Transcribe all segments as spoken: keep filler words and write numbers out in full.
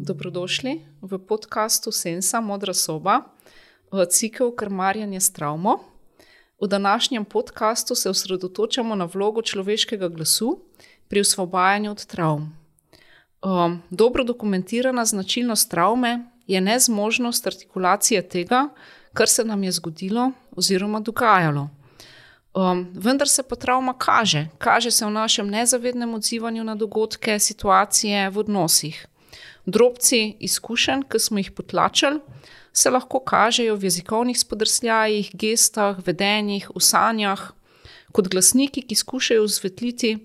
Dobrodošli v podkastu Sensa Modra soba, cikel Krmarjenje s travmo. V današnjem podkastu se osredotočamo na vlogo človeškega glasu pri osvobajanju od travm. Um, dobro dokumentirana značilnost travme je nezmožnost artikulacije tega, kar se nam je zgodilo oziroma dogajalo. Um, vendar se pa travma kaže. Kaže se v našem nezavednem odzivanju na dogodke, situacije v odnosih. Drobci izkušenj, ki smo jih potlačili, se lahko kažejo v jezikovnih spodrsljajih, gestah, vedenjih, v sanjah, kot glasniki, ki skušajo osvetliti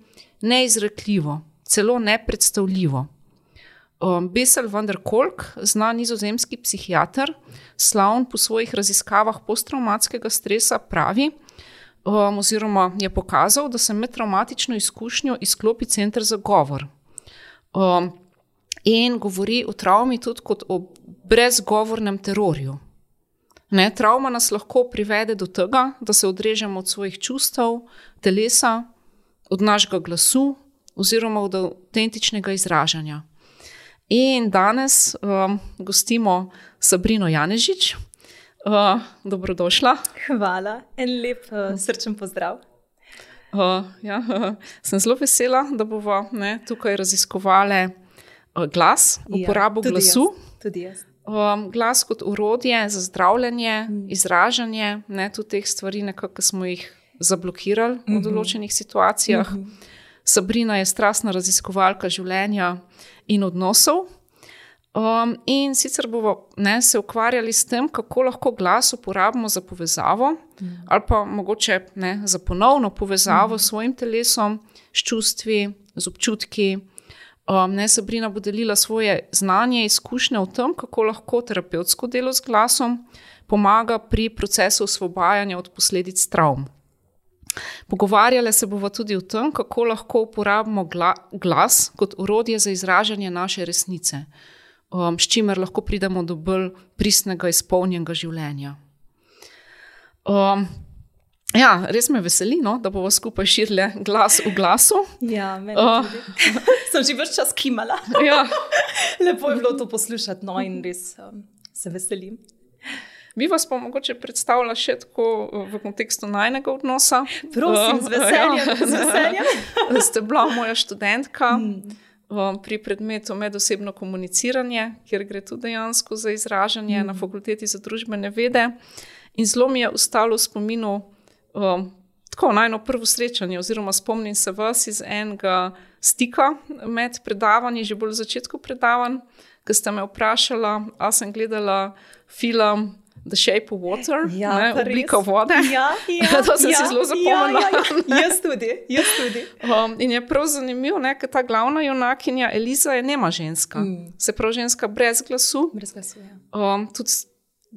neizrekljivo, celo nepredstavljivo. Um, Bessel van der Kolk, znan nizozemski psihiater, slavn po svojih raziskavah posttravmatskega stresa, pravi, um, oziroma je pokazal, da se med travmatično izkušnjo izklopi center za govor. Um, in govori o travmi tudi kot o brezgovornem terorju. Ne, travma nas lahko privede do tega, da se odrežemo od svojih čustev, telesa, od našega glasu oziroma od avtentičnega izražanja. In danes um, gostimo Sabrino Janežič. Uh, dobrodošla. Hvala, en lep uh, srčen pozdrav. Uh, ja, uh, sem zelo vesela, da bomo ne, tukaj raziskovali uh, glas, uporabo ja, tudi glasu. Jaz, tudi jaz. Um, glas kot orodje za zdravljenje, mm. izražanje, ne, tudi teh stvari, nekako smo jih zablokirali mm-hmm. v določenih situacijah. Mm-hmm. Sabrina je strastna raziskovalka življenja in odnosov. Um, in sicer bomo ne, se ukvarjali s tem, kako lahko glas uporabimo za povezavo mm. ali pa mogoče ne, za ponovno povezavo mm. s svojim telesom, s čustvi, z občutki. Um, ne, Sabrina bo delila svoje znanje, izkušnje o tem, kako lahko terapevtsko delo z glasom pomaga pri procesu osvobajanja od posledic travm. Pogovarjali se bomo tudi o tem, kako lahko uporabimo gla, glas kot orodje za izražanje naše resnice, um, s čimer lahko pridemo do bolj pristnega, izpolnjenega življenja. Um, ja, res me veseli, no, da bomo skupaj širili glas v glasu. Ja, meni uh, tudi. Sem že več čas kimala. Ja. Lepo je bilo to poslušati, no, in res um, se veselim. Bi vas pa mogoče predstavila še tako v kontekstu najnega odnosa. Prosim, z veseljem, z veseljem. Ste bila moja študentka mm. pri predmetu medosebno komuniciranje, kjer gre tudi dejansko za izražanje mm. na fakulteti za družbene vede. In zelo mi je ostalo v spominu um, tako najno prvo srečanje, oziroma spomnim se vas iz enega stika med predavanji, že bolj v začetku predavanj, ko ste me vprašala, a sem gledala film The Shape of Water, ja, ne, oblika vode. Ja, ja, to sem ja, si zelo zapomnila. Ja, ja, ja. Jaz tudi, jaz tudi. Um, in je prav zanimivo, ne, ker ta glavna junakinja Eliza je nema ženska. Mm. Se pravi ženska brez glasu. Brez glasu, ja. Um, tudi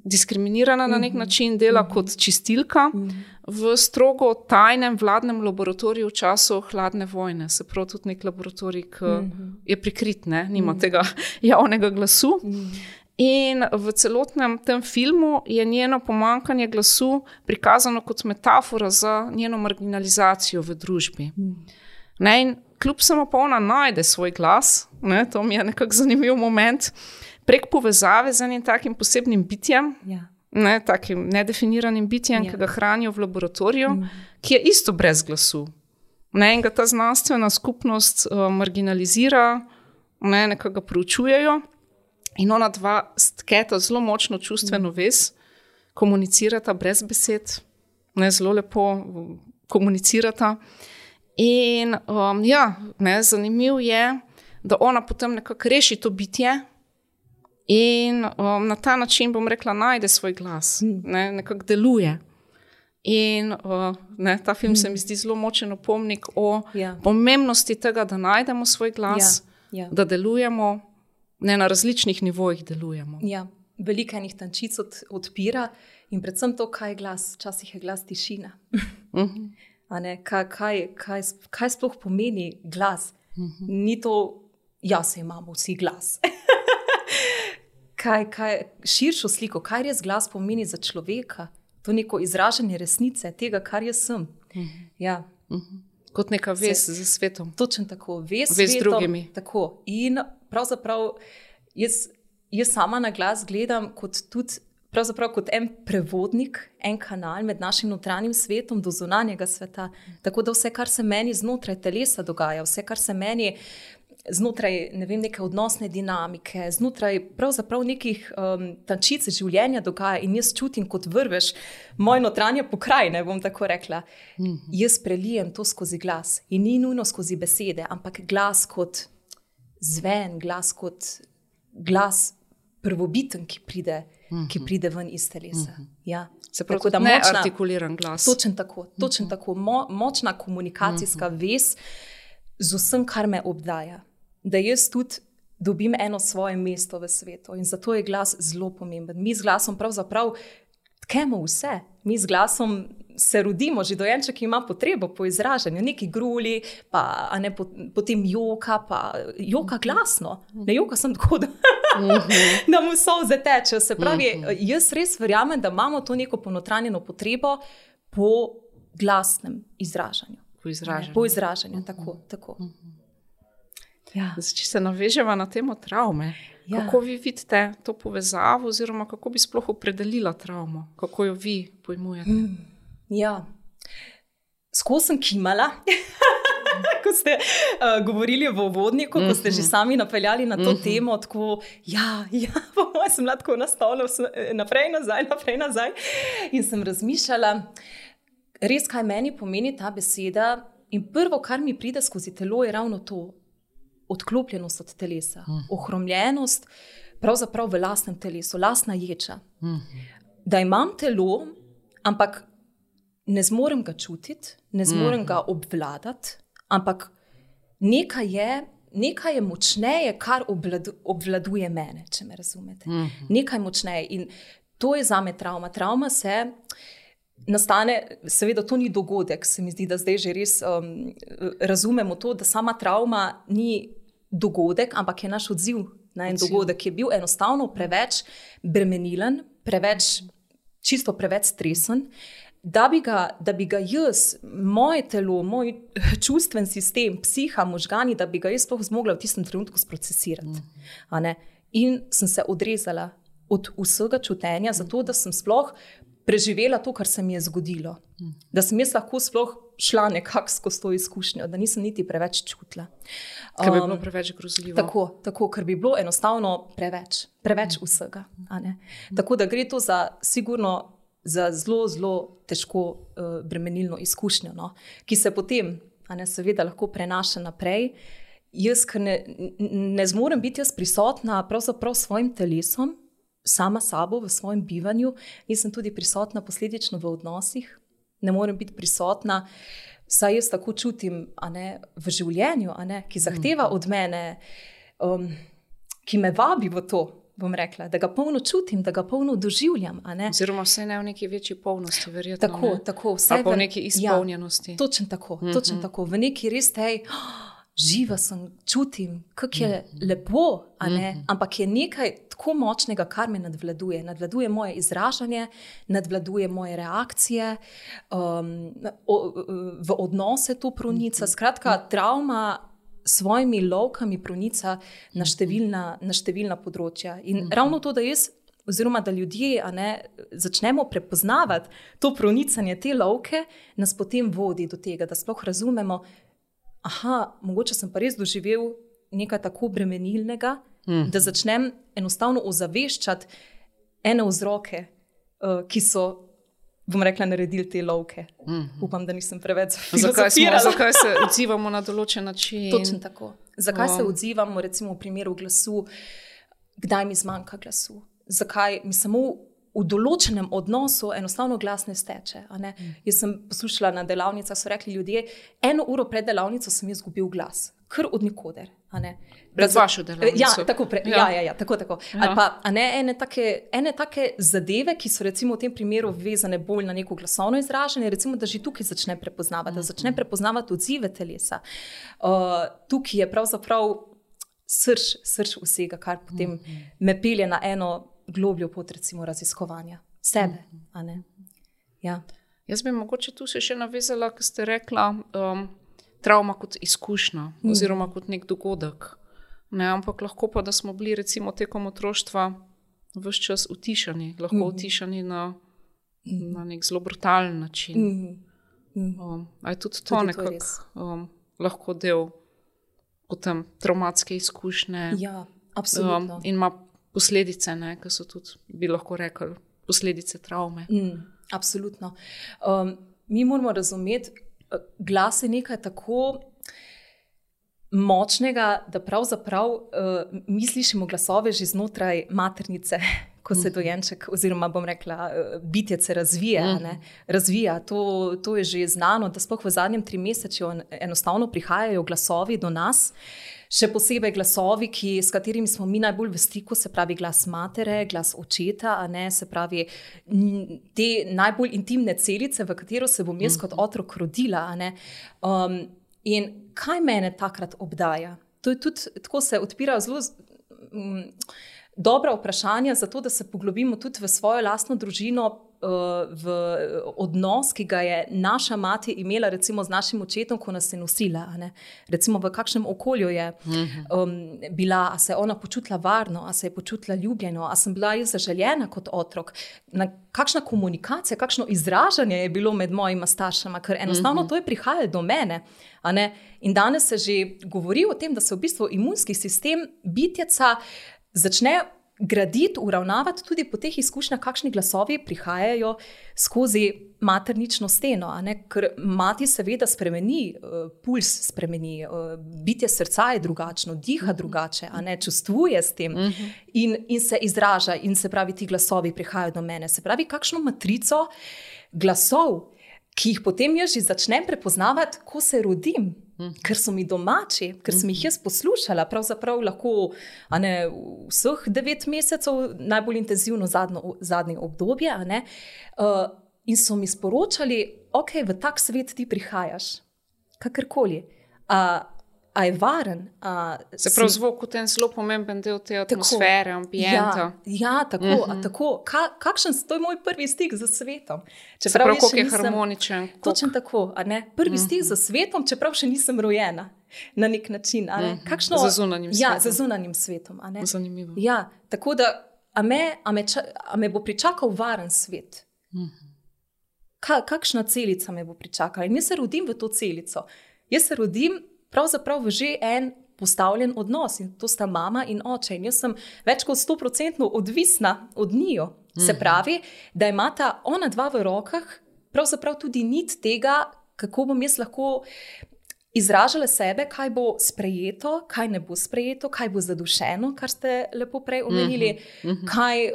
diskriminirana mm-hmm. na nek način, dela mm-hmm. kot čistilka mm-hmm. v strogo tajnem vladnem laboratoriju v času hladne vojne. Se pravi tudi nek laboratorij, ki mm-hmm. je prikrit, ne, nima mm-hmm. tega javnega glasu. Mm-hmm. In v celotnem tem filmu je njeno pomanjkanje glasu prikazano kot metafora za njeno marginalizacijo v družbi. Mm. Ne, in kljub samo pa ona najde svoj glas, ne, to mi je nekako zanimiv moment, prek povezave z enim takim posebnim bitjem, ja. ne, takim nedefiniranim bitjem, ja. ki ga hranijo v laboratoriju, mm. ki je isto brez glasu. Ne, in ga ta znanstvena skupnost uh, marginalizira, ne, nekako ga proučujejo. In ona dva stketa zelo močno čustveno vez, komunicirata brez besed, ne, zelo lepo komunicirata. In um, ja, ne, zanimiv je, da ona potem nekako reši to bitje in um, na ta način, bom rekla, najde svoj glas, ne, nekako deluje. In uh, ne, ta film se mi zdi zelo močen opomnik o ja. pomembnosti tega, da najdemo svoj glas, ja. Ja. da delujemo. Ne, na različnih nivojih delujemo. Ja, veliko enih tančic od, odpira in predvsem to, kaj je glas. Včasih je glas tišina. Uh-huh. A ne, kaj, kaj, kaj, kaj sploh pomeni glas? Uh-huh. Ni to, ja, se imamo vsi glas. kaj, kaj, širšo sliko, kaj res glas pomeni za človeka? To neko izražanje resnice, tega, kar jaz sem. Uh-huh. Ja. Uh-huh. Kot neka vez z svetom. Točno tako, vez, vez z svetom, drugimi. Tako. In pravzaprav jaz, jaz sama na glas gledam kot tudi pravzaprav kot en prevodnik, en kanal med našim notranjim svetom do zunanjega sveta. Tako da vse, kar se meni znotraj telesa dogaja, vse, kar se meni znotraj, ne vem, neke odnosne dinamike, znotraj pravzaprav nekih um, tančic življenja dogaja in jaz čutim kot vrvež moje notranje pokrajine, bom tako rekla. Mm-hmm. Jaz prelijem to skozi glas in ni nujno skozi besede, ampak glas kot zven, glas kot glas prvobiten, ki pride, mm-hmm. ki pride ven iz telesa. Mm-hmm. Ja. Se pravi, tako, ne močna, artikuliran glas. Točen tako, točen mm-hmm. tako. Mo, močna komunikacijska mm-hmm. vez z vsem, kar me obdaja. Da jaz tudi dobim eno svoje mesto v svetu in zato je glas zelo pomemben. Mi z glasom pravzaprav tkemo vse. Mi z glasom se rodimo, že dojenček ima potrebo po izražanju, neki gruli, pa a ne, potem joka, pa joka glasno. Ne joka sem tako, da, da mu solze tečejo. Se pravi, jaz res verjamem, da imamo to neko ponotranjeno potrebo po glasnem izražanju. Po izražanju. Po izražanju, tako, tako. Ja. Zdaj, če se naveževa na temo travme, ja. Kako vi vidite to povezavo oziroma kako bi sploh opredelila travmo? Kako jo vi pojmujete? Mm, ja, skozi sem kimala, ko ste uh, govorili v uvodniku, ko ste že sami napeljali na to mm-hmm. temo, tako, ja, ja, po mojem sem lahko nastavila naprej, nazaj, naprej, nazaj in sem razmišljala, res, kaj meni pomeni ta beseda in prvo, kar mi pride skozi telo, je ravno to, odklopljenost od telesa, mm. ohromljenost pravzaprav v lastnem telesu, lastna ječa. Mm. Da imam telo, ampak ne zmorem ga čutiti, ne zmorem mm. ga obvladati, ampak nekaj je, nekaj je močneje, kar obvladu, obvladuje mene, če me razumete. Mm. Nekaj močneje in to je zame travma. Travma se nastane, seveda to ni dogodek, se mi zdi, da zdaj že res um, razumemo to, da sama travma ni dogodek, ampak je naš odziv na en odziv. Dogodek, ki je bil enostavno preveč bremenilen, preveč, čisto preveč stresen, da bi ga, da bi ga jaz, moje telo, moj čustven sistem, psiha, možgani, da bi ga jaz sploh zmogla v tistem trenutku sprocesirati. A ne? In sem se odrezala od vsega čutenja, zato da sem sploh preživela to, kar se mi je zgodilo. Hmm. Da sem jaz lahko sploh šla nekako skozi to izkušnjo, da nisem niti preveč čutila. Ker bi bilo preveč grozljivo. Tako, tako, ker bi bilo enostavno preveč, preveč hmm. vsega. A ne? Hmm. Tako da gre to za sigurno za zelo, zelo težko uh, bremenilno izkušnjo, no? Ki se potem, a ne, seveda lahko prenaša naprej. Jaz, ker ne, ne zmorem biti jaz prisotna pravzaprav s svojim telesom, sama sabo v svojem bivanju, nisem tudi prisotna posledično v odnosih, ne morem biti prisotna, saj jaz tako čutim, a ne, v življenju, a ne, ki zahteva od mene, um, ki me vabi v to, bom rekla, da ga polno čutim, da ga polno doživljam. A ne. Oziroma vse ne v neki večji polnosti, verjetno. Tako, ne? tako. Vse ali pa v neki izpolnjenosti. Ja, točno tako, mm-hmm. točno tako. V neki res tej, oh, živa sem, čutim, kako je mm-hmm. lepo, a ne, mm-hmm. ampak je nekaj tako močnega, kar me nadvladuje. Nadvladuje moje izražanje, nadvladuje moje reakcije, um, o, v odnose to pronica. Mm-hmm. Skratka, travma svojimi lovkami pronica na številna, na številna področja. In mm-hmm. ravno to, da jaz, oziroma da ljudje, a ne, začnemo prepoznavati to pronicanje, te lovke, nas potem vodi do tega, da sploh razumemo, aha, mogoče sem pa res doživel nekaj tako bremenilnega, mm. da začnem enostavno ozaveščati ene vzroke, uh, ki so, bom rekla, naredili te lovke. Mm. Upam, da nisem preveč filozofirala. Zakaj, zakaj se odzivamo na določen način? Točno tako. Zakaj oh. se odzivamo, recimo v primeru glasu, kdaj mi zmanjka glasu? Zakaj mi samo v določenem odnosu enostavno glas ne steče. A ne? Mm. Jaz sem poslušala na delavnicah, so rekli ljudje, eno uro pred delavnico sem jaz izgubil glas. Kar od nikoder. A ne? Pred vašo delavnico. Ja, tako, pre, ja. Ja, ja, ja, tako, tako. Ja. Ali pa a ne, ene, take, ene take zadeve, ki so recimo v tem primeru vezane bolj na neko glasovno izražanje, recimo, da že tukaj začne prepoznavati, mm-hmm. da začne prepoznavati odzive telesa. Uh, tukaj je pravzaprav srž, srž vsega, kar potem mm-hmm. me pelje na eno globljo pot, recimo, raziskovanja sebe. Mm-hmm. A ne? Ja. Jaz bi mogoče tu se še navezala, ko ste rekla, um, travma kot izkušnja mm. oziroma kot nek dogodek. Ne, ampak lahko pa, da smo bili recimo tekom otroštva ves čas utišani, lahko mm-hmm. utišani na, mm-hmm. na nek zelo brutalen način. Mm-hmm. Um, a je tudi to tudi nekako um, lahko del potem traumatske izkušnje. Ja, absolutno. Um, in ima posledice, ne, ki so tudi, bi lahko rekli, posledice travme. Mm, absolutno. Um, mi moramo razumeti, glas je nekaj tako močnega, da pravzaprav uh, mi slišimo glasove že znotraj maternice, ko se dojenček, oziroma bom rekla, bitje se razvija. Ne? Razvija. To, to je že znano, da sploh v zadnjem trimesečju enostavno prihajajo glasovi do nas, še posebej glasovi, ki, s katerimi smo mi najbolj v stiku, se pravi glas matere, glas očeta, a ne, se pravi te najbolj intimne celice, v katero se bom jaz kot otrok rodila. A ne? Um, in kaj mene takrat obdaja? To je tudi, tako se odpirajo zelo um, dobra vprašanja, zato da se poglobimo tudi v svojo lastno družino, uh, v odnos, ki ga je naša mati imela recimo z našim očetom, ko nas je nosila. A ne? Recimo v kakšnem okolju je um, bila, a se je ona počutila varno, a se je počutila ljubljeno, a sem bila jaz zaželjena kot otrok, na kakšna komunikacija, kakšno izražanje je bilo med mojima staršama, ker enostavno to je prihajalo do mene. A ne? In danes se že govori o tem, da se v bistvu imunski sistem bitjeca začne graditi, uravnavati tudi po teh izkušnjah, kakšni glasovi prihajajo skozi maternično steno. A ne? Ker mati seveda spremeni, uh, puls spremeni, uh, bitje srca je drugačno, diha drugače, a ne, čustvuje s tem in, in se izraža, in se pravi, ti glasovi prihajajo do mene. Se pravi, kakšno matrico glasov, ki jih potem jaz že začnem prepoznavati, ko se rodim, ker so mi domači, ker sem jih jaz poslušala, pravzaprav lahko, a ne, vseh devet mesecev, najbolj intenzivno zadnjo, zadnje obdobje, a ne, uh, in so mi sporočali, ok, v tak svet ti prihajaš, kakorkoli. A, a je varen. A, se pravi, zvok je ten zelo pomemben del te atmosfere, tako, ambienta. Ja, ja tako, uh -huh. a, tako. Ka, kakšen, to je moj prvi stik z svetom. Se pravi, koliko je nisem, harmoničen. Točno tako, a ne? Prvi uh -huh. stik z svetom, čeprav še nisem rojena na nek način. A ne? Uh -huh. Kakšno, za zunanjim svetom. Ja, za zunanjim svetom. A ne? Zanimivo. Ja, tako da, a me, a me, ča, a me bo pričakal varen svet? Uh -huh. Ka, kakšna celica me bo pričakala? In jaz se rodim v to celico. Jaz se rodim pravzaprav v že en postavljen odnos, in to sta mama in oče. In jaz sem več kot sto procentno odvisna od njiju. Se pravi, da imata ona dva v rokah pravzaprav tudi nit tega, kako bom jaz lahko izražala sebe, kaj bo sprejeto, kaj ne bo sprejeto, kaj bo zadušeno, kar ste lepo prej omenili, kaj,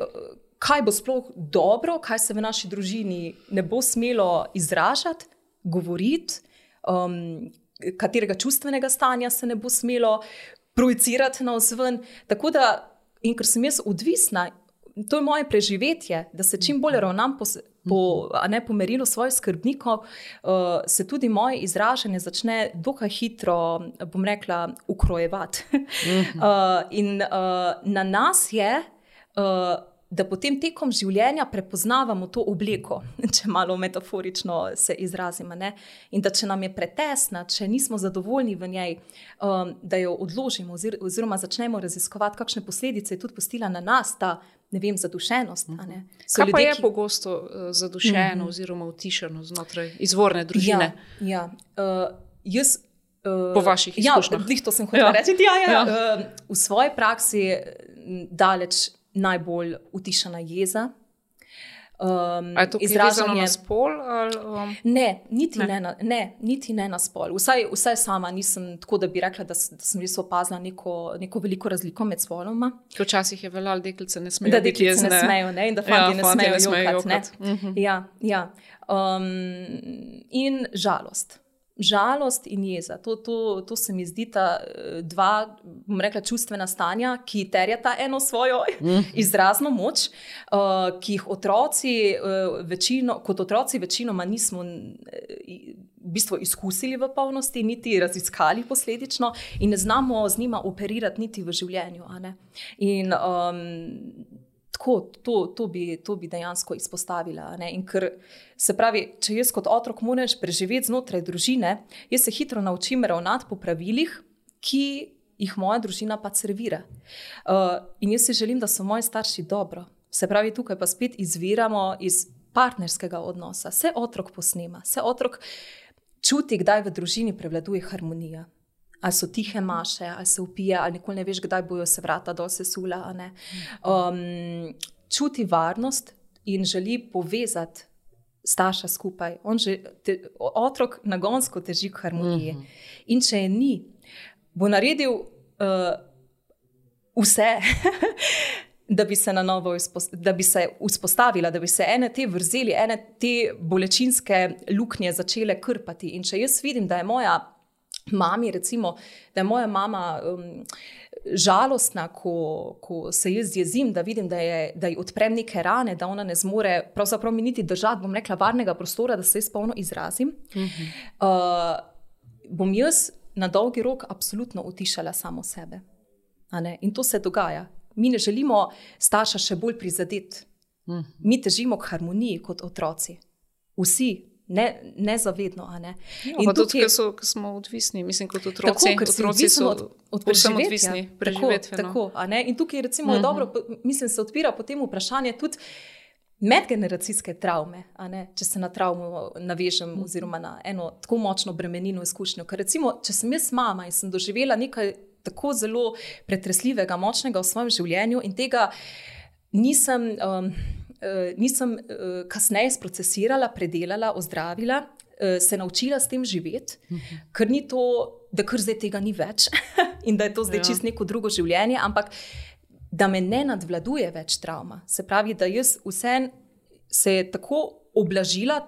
kaj bo sploh dobro, kaj se v naši družini ne bo smelo izražati, govoriti, um, katerega čustvenega stanja se ne bo smelo projicirati navzven. Tako da, in ker sem jaz odvisna, to je moje preživetje, da se čim bolj ravnam po, po, a ne, po merilu svojih skrbnikov, uh, se tudi moje izražanje začne dokaj hitro, bom rekla, ukrojevati. uh, in uh, na nas je, uh, da potem tekom življenja prepoznavamo to obleko, če malo metaforično se izrazimo, ne? In da če nam je pretesna, če nismo zadovoljni v njej, um, da jo odložimo oziroma začnemo raziskovati, kakšne posledice je tudi pustila na nas ta, ne vem, zadušenost. A ne? Kaj pa je ki... pogosto uh, zadušeno mm-hmm. oziroma utišeno znotraj izvorne družine? Ja, ja. Uh, jaz po vaših izkušnjah. Ja, glih to sem hotela ja. reči. Ja, ja. Ja. Uh, v svoji praksi daleč najbolj utišana jeza. Um, A je to izraženo na spol? Ali, um... Ne, niti ne. Ne, na, ne, niti ne na spol. Vsaj, vsaj sama nisem tako, da bi rekla, da, da sem res opazila neko, neko veliko razliko med spoloma. Včasih je veljalo, deklice ne smejo. Da deklice ne smejo, ne, in da fanti ja, ne smejo, ne smejo jokati. jokati. Uh-huh. Ja, ja. Um, in žalost. Žalost in jeza. To, to, to se mi zdi ta dva, bom rekla, čustvena stanja, ki terjata eno svojo izrazno moč, uh, ki jih otroci, uh, večino, kot otroci večinoma nismo v bistvu izkusili v polnosti, niti raziskali posledično in ne znamo z njima operirati niti v življenju. A ne? In um, tako, to, to, bi, to bi dejansko izpostavila. Ne? In ker se pravi, če jaz kot otrok moraš preživeti znotraj družine, jaz se hitro naučim ravnati po pravilih, ki jih moja družina pa servira. Uh, in jaz si želim, da so moji starši dobro. Se pravi, tukaj pa spet izviramo iz partnerskega odnosa. Se otrok posnema, se otrok čuti, kdaj v družini prevladuje harmonija. Ali so tihe maše, ali se upije, ali nikoli ne veš, kdaj bojo se vrata dol sesula. A ne? Um, čuti varnost in želi povezati starša skupaj. On že, te, otrok nagonsko teži k harmoniji. Uh-huh. In če je ni, bo naredil uh, vse, da bi se na novo da bi se vzpostavila, da bi se ene te vrzeli, ene te bolečinske luknje začele krpati. In če jaz vidim, da je moja mami, recimo, da je moja mama um, žalostna, ko, ko se jaz jezim, da vidim, da, je, da ji odprem neke rane, da ona ne zmore pravzaprav mi niti držati, bom rekla, varnega prostora, da se jaz polno izrazim, uh-huh. uh, bom jaz na dolgi rok absolutno utišala samo sebe. A ne? In to se dogaja. Mi ne želimo starša še bolj prizadeti. Uh-huh. Mi težimo k harmoniji kot otroci. Vsi. Ne, nezavedno, a ne. Ja, in tudi, ker so, smo odvisni, mislim, kot otroci, tako, otroci so od, od preživetja. Odvisni, preživetveno. Tako, tako, a ne. In tukaj recimo uh-huh. je dobro, mislim, se odpira potem vprašanje tudi medgeneracijske travme, a ne, če se na travmo navežem uh-huh. oziroma na eno tako močno bremenino izkušnjo. Ker recimo, če sem jaz mama in sem doživela nekaj tako zelo pretresljivega, močnega v svojem življenju in tega nisem... Um, nisem kasneje sprocesirala, predelala, ozdravila, se naučila s tem živeti, uh-huh. ker ni to, da kar zdaj tega ni več in da je to zdaj ja. Čist neko drugo življenje, ampak da me ne nadvladuje več travma. Se pravi, da jaz vsem se je tako oblažila,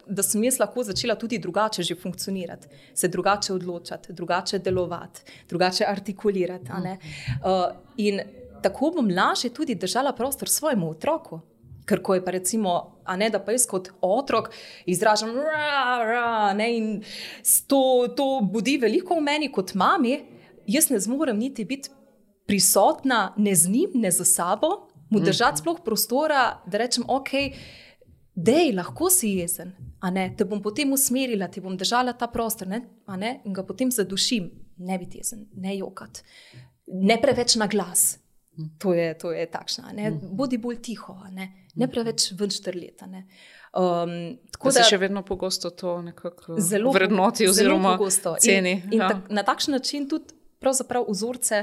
da sem jaz lahko začela tudi drugače že funkcionirati, se drugače odločati, drugače delovati, drugače artikulirati. A ne? Uh, in tako bom lažje tudi držala prostor svojemu otroku. Ker ko je pa recimo, a ne, da pa jaz kot otrok izražam ra, ra, ne, in to, to budi veliko v meni kot mami, jaz ne zmorem niti biti prisotna ne z njim, ne za sabo, mu držati sploh prostora, da rečem, ok, dej, lahko si jezen, a ne, te bom potem usmerila, ti bom držala ta prostor, ne, a ne, in ga potem zadušim, ne biti jezen, ne jokati, ne preveč na glas. To je, to je takšna, ne? Bodi bolj tiho, ne, ne preveč ven štrleta. Um, da se še vedno pogosto to nekako vrednoti oziroma ceni. In, in ja. tak, na takšen način tudi pravzaprav vzorce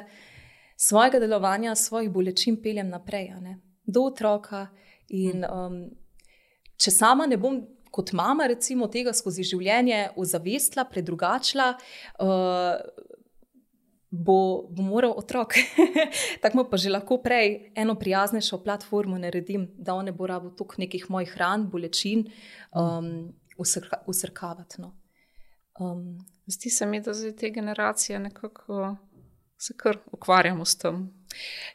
svojega delovanja, svojih bolečin peljem naprej, ne? Do otroka. In um, če sama ne bom kot mama recimo tega skozi življenje ozavestila, predrugačila, uh, Bo, bo moral otrok, tako pa že lahko prej eno prijaznejšo platformo naredim, da on ne bo rabo toliko nekih mojih ran, bolečin um, usrka, usrkavati. No. Um, Zdi se mi, da zdaj te generacije nekako se kar ukvarjamo s tem.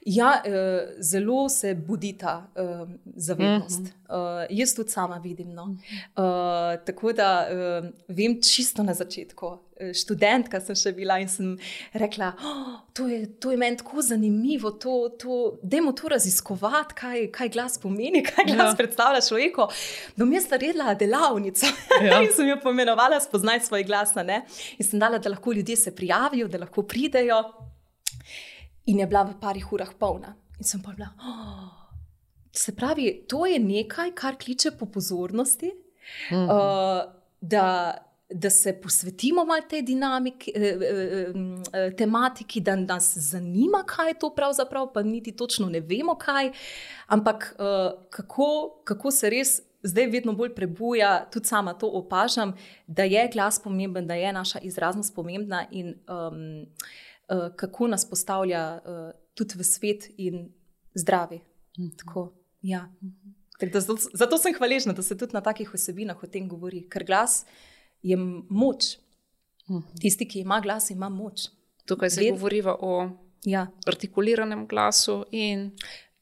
Ja, eh, zelo se budi ta eh, zavednost. Uh-huh. Eh, jaz tudi sama vidim. No. Eh, tako da eh, vem čisto na začetku. Študentka sem še bila in sem rekla, oh, to, je, to je meni tako zanimivo, to, to, dajmo to raziskovati, kaj, kaj glas pomeni, kaj glas ja. Predstavlja človeku. Bom jaz naredila delavnico ja. In sem jo pomenovala Spoznaj svoj glas. Ne? In sem dala, da lahko ljudje se prijavijo, da lahko pridejo. In je bila v parih urah polna. In sem pa bila, oh, se pravi, to je nekaj, kar kliče po pozornosti, mm-hmm. uh, da, da se posvetimo malo tej dinamiki, eh, eh, tematiki, da nas zanima, kaj je to pravzaprav, pa niti točno ne vemo, kaj, ampak eh, kako, kako se res zdaj vedno bolj prebuja, tudi sama to opažam, da je glas pomemben, da je naša izraznost pomembna in um, Uh, kako nas postavlja uh, tudi v svet in zdravi. Mm-hmm. Tako, ja. Mm-hmm. Tak, da, zato, zato sem hvaležna, da se tudi na takih vsebinah o tem govori, ker glas je moč. Mm-hmm. Tisti, ki ima glas, ima moč. Tukaj se Ved... govoriva o ja. Artikuliranem glasu in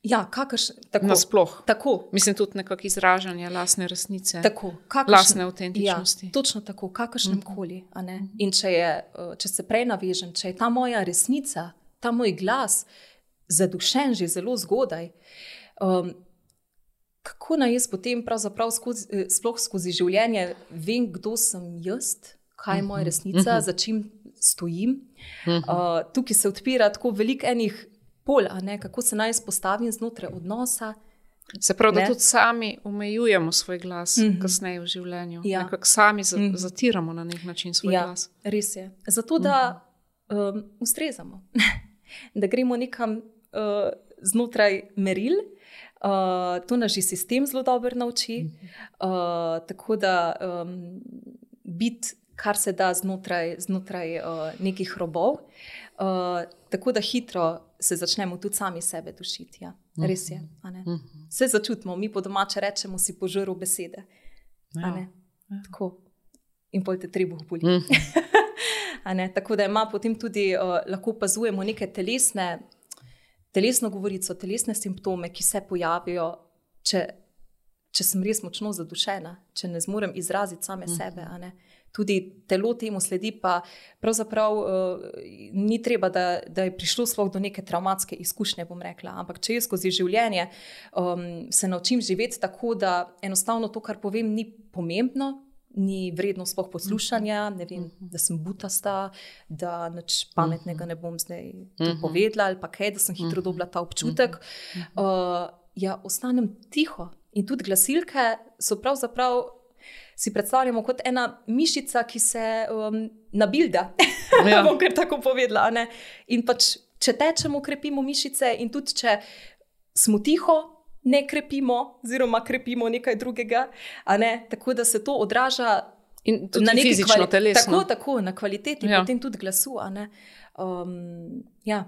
ja, kakrš, tako, nasploh. Tako. Mislim tudi nekako izražanje lastne resnice, tako, kakršne, lastne avtentičnosti. Ja, točno tako, kakršnem mm-hmm. koli. A ne? In če, je, če se prej navežem, če je ta moja resnica, ta moj glas zadušen že zelo zgodaj, um, kako naj jaz potem pravzaprav skozi, sploh skozi življenje vem, kdo sem jaz, kaj je moja resnica, mm-hmm. za čim stojim. Uh, tukaj se odpira tako veliko enih pol, a ne, kako se naj izpostavim znotraj odnosa. Se pravi, Ne? da tudi sami omejujemo svoj glas Mhm. kasneje v življenju. Ja. Nekako sami za, Mhm. zatiramo na nek način svoj Ja, glas. res je. Zato, da um, ustrezamo, da gremo nekam uh, znotraj meril. Uh, to nas že sistem zelo dobro nauči. Uh, tako da um, biti, kar se da znotraj, znotraj uh, nekih robov, uh, tako da hitro se začnemo tudi sami sebe dušiti. Ja. Res je. A ne? Vse začutimo, mi po domače rečemo, si požrl besede. A Ja. ne? Tako. In pol te trebuh boli. A ne? Tako da ima potem tudi, uh, lahko opazujemo neke telesne, telesno govorico, telesne simptome, ki se pojavijo, če, če sem res močno zadušena, če ne zmorem izraziti same sebe. A ne? Tudi telo temu sledi, pa pravzaprav uh, ni treba, da, da je prišlo sploh do neke travmatske izkušnje, bom rekla. Ampak če jaz skozi življenje um, se naučim živeti tako, da enostavno to, kar povem, ni pomembno, ni vredno sploh poslušanja, ne vem, da sem butasta, da nič pametnega ne bom zdaj tu povedala, ali pa kaj, da sem hitro dobila ta občutek. Uh, ja, ostanem tiho. In tudi glasilke so pravzaprav, si predstavljamo kot ena mišica, ki se um, nabilda, Ja. bom kar tako povedala. a Ne? In pač, če tečemo, krepimo mišice, in tudi če smo tiho, ne krepimo, oziroma krepimo nekaj drugega. A ne? Tako da se to odraža In tudi na neki fizično, kvali- telesno. Tako, tako, na kvaliteti, Ja. potem tudi glasu. A ne? Um, ja.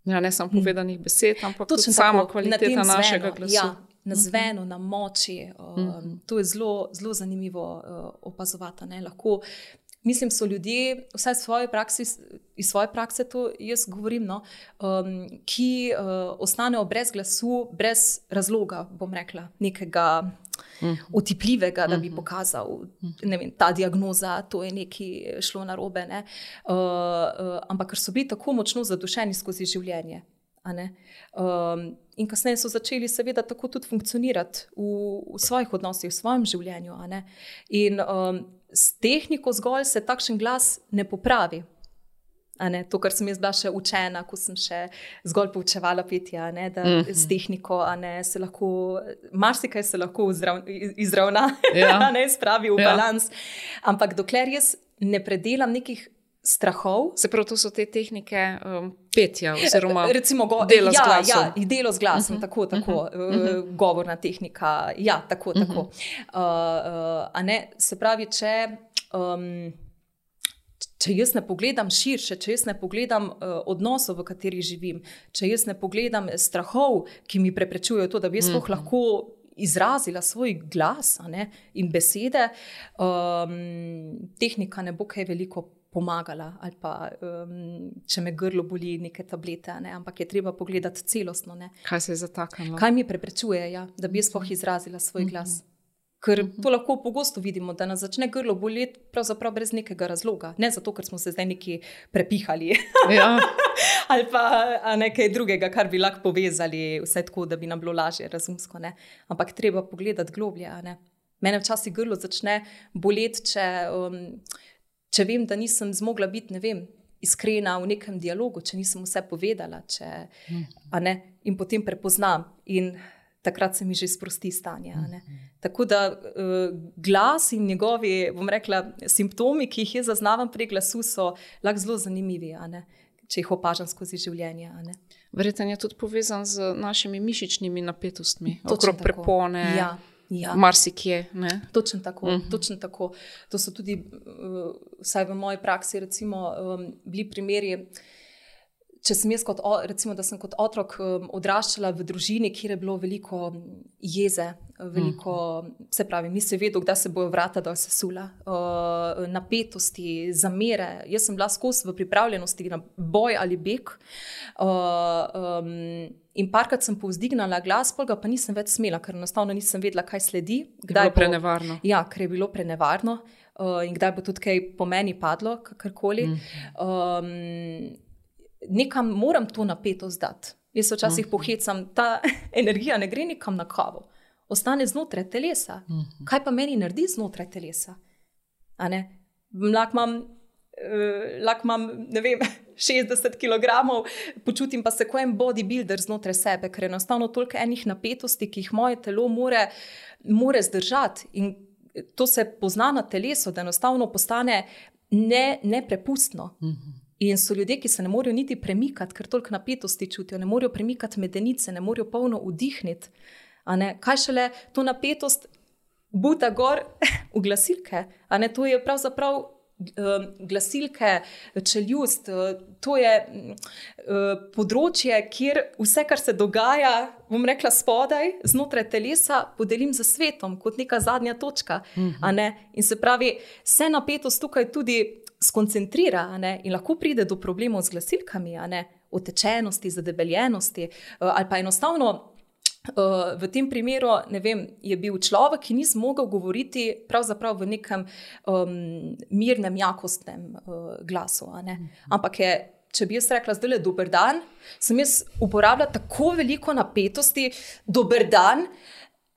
Ja, ne samo povedanih besed, ampak tudi Točno sama tako, na kvaliteta tem našega zvenu, glasu. Ja, na zvenu, na moči. Um, Mhm. To je zelo, zelo zanimivo uh, opazovati. Ne? Lahko, mislim, so ljudje, vsaj iz svoje praksi, iz svoje prakse to jaz govorim, no, um, ki uh, ostanejo brez glasu, brez razloga, bom rekla, nekega otipljivega, da bi pokazal, ne vem, ta diagnoza, to je nekaj šlo narobe. Ne? Uh, uh, ampak ker so bili tako močno zadušeni skozi življenje. A ne? Um, in kasneje so začeli seveda tako tudi funkcionirati v, v svojih odnosih, v svojem življenju. A ne? In um, s tehniko zgolj se takšen glas ne popravi. A ne? To, kar sem jaz bila še učena, ko sem še zgolj poučevala petje, a ne? Da Mhm. s tehniko a ne, se lahko, marsikaj se lahko izrav, izravna, Ja. a ne, spravi v Ja. balans. Ampak dokler jaz ne predelam nekih strahov, Se pravi, to so te tehnike um, petja oziroma recimo go, dela z ja, glasom. ja, delo z glasom, uh -huh, tako, tako, uh -huh. uh, govorna tehnika, ja, tako, tako. Uh -huh. uh, uh, a ne, se pravi, če, um, če jaz ne pogledam širše, če jaz ne pogledam uh, odnosov, v katerih živim, če jaz ne pogledam strahov, ki mi preprečujejo to, da bi jaz sploh uh -huh. lahko izrazila svoj glas, a ne, in besede, um, tehnika ne bo kaj veliko pomagala, ali pa um, če me grlo boli, neke tablete, ne? Ampak je treba pogledati celostno. Ne? Kaj se je zataknilo? Kaj mi preprečuje, ja, da bi jaz sploh izrazila svoj glas? Ker to lahko pogosto vidimo, da nas začne grlo boleti pravzaprav brez nekega razloga. Ne zato, ker smo se zdaj neki prepihali Ja. ali pa a nekaj drugega, kar bi lahko povezali, vse tako, da bi nam bilo lažje razumsko. Ne? Ampak treba pogledati globlje. A ne? Mene včasih grlo začne boleti, če... Um, Če vem, da nisem zmogla biti, ne vem, iskrena v nekem dialogu, če nisem vse povedala, če, a ne, in potem prepoznam, in takrat se mi že sprosti stanje. A ne. Tako da uh, glas in njegovi, bom rekla, simptomi, ki jih jaz zaznavam pri glasu, so lahko zelo zanimivi, a ne, če jih opažam skozi življenje. A ne. Verjetno je tudi povezan z našimi mišičnimi napetostmi, Točno okrog tako. prepone. Ja. Ja. Marsikje. Ne? Točno tako, Mhm. točno tako. To so tudi, uh, vsaj v moji praksi, recimo, um, bili primeri, če sem jaz kot, o- recimo, da sem kot otrok um, odraščala v družini, kjer je bilo veliko jeze, veliko, se pravi, nisi vedel, kdaj se bojo vrata dol sesula, uh, napetosti, zamere. Jaz sem bila skozi v pripravljenosti na boj ali beg. Uh, um, In parkrat sem povzdignala glas, pol ga pa nisem več smela, ker enostavno nisem vedela, kaj sledi. Je bilo prenevarno. Ja, ker je bilo prenevarno uh, in kdaj bo tudi kaj po meni padlo, kakorkoli. Um, nekam moram to napetost dati. Jaz se včasih pohecam, ta energija ne gre nekam na kavo, ostane znotraj telesa. Kaj pa meni naredi znotraj telesa? A ne? Lahko imam uh, lahko imam, ne vem, šestdeset kilogramov, počutim pa se kot en bodybuilder znotraj sebe, ker enostavno toliko enih napetosti, ki jih moje telo more, more zdržati. In to se pozna na telesu, da enostavno postane ne, neprepustno. Mm-hmm. In so ljudje, ki se ne morejo niti premikati, ker toliko napetosti čutijo, ne morejo premikati medenice, ne morejo polno vdihniti. A ne? Kaj šele to napetost buta gor v glasilke? A ne? To je pravzaprav uh, glasilke, čeljust, uh, to je uh, področje, kjer vse, kar se dogaja, bom rekla spodaj, znotraj telesa, podelim za svetom, kot neka zadnja točka. Mm-hmm. A ne? In se pravi, se napetost tukaj tudi skoncentrira, a ne, in lahko pride do problemov z glasilkami, a ne, otečenosti, zadebeljenosti, ali pa enostavno v tem primeru, ne vem, je bil človek, ki ni zmogel govoriti pravzaprav v nekem um, mirnem, jakostnem uh, glasu, a ne, ampak je, če bi jaz rekla zdaj le dober dan, sem jaz uporabljala tako veliko napetosti, dober dan,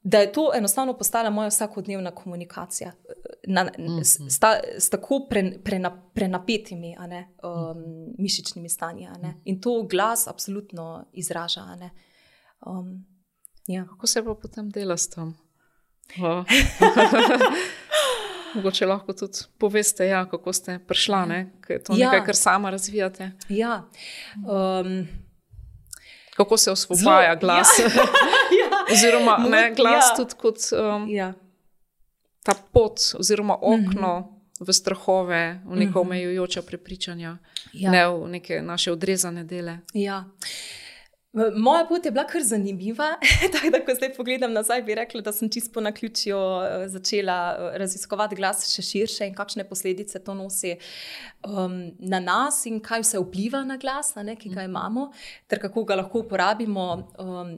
da je to enostavno postala moja vsakodnevna komunikacija na, mm-hmm. s, s, s tako pre, prena, prenapetimi a ne, um, mišičnimi stanji. A ne. In to glas absolutno izraža. A ne. Um, ja. Kako se pa potem dela s tem? Mogoče lahko tudi poveste, ja, kako ste prišla, ne? Ker je to ja. nekaj, kar sama razvijate. Ja. Um, Kako se osvobaja glas? Ja. ja. Oziroma, ne, glas ja. tudi kot um, ja. ta pot oziroma okno mm-hmm. v strahove, v neka omejujoča prepričanja, ja. ne v neke naše odrezane dele. Ja. Moja pot je bila kar zanimiva, tako da, ko zdaj pogledam nazaj, bi rekla, da sem čisto po naključju začela raziskovati glas še širše in kakšne posledice to nosi um, na nas in kaj vse vpliva na glas, a ne, ki ga imamo, ter kako ga lahko uporabimo um,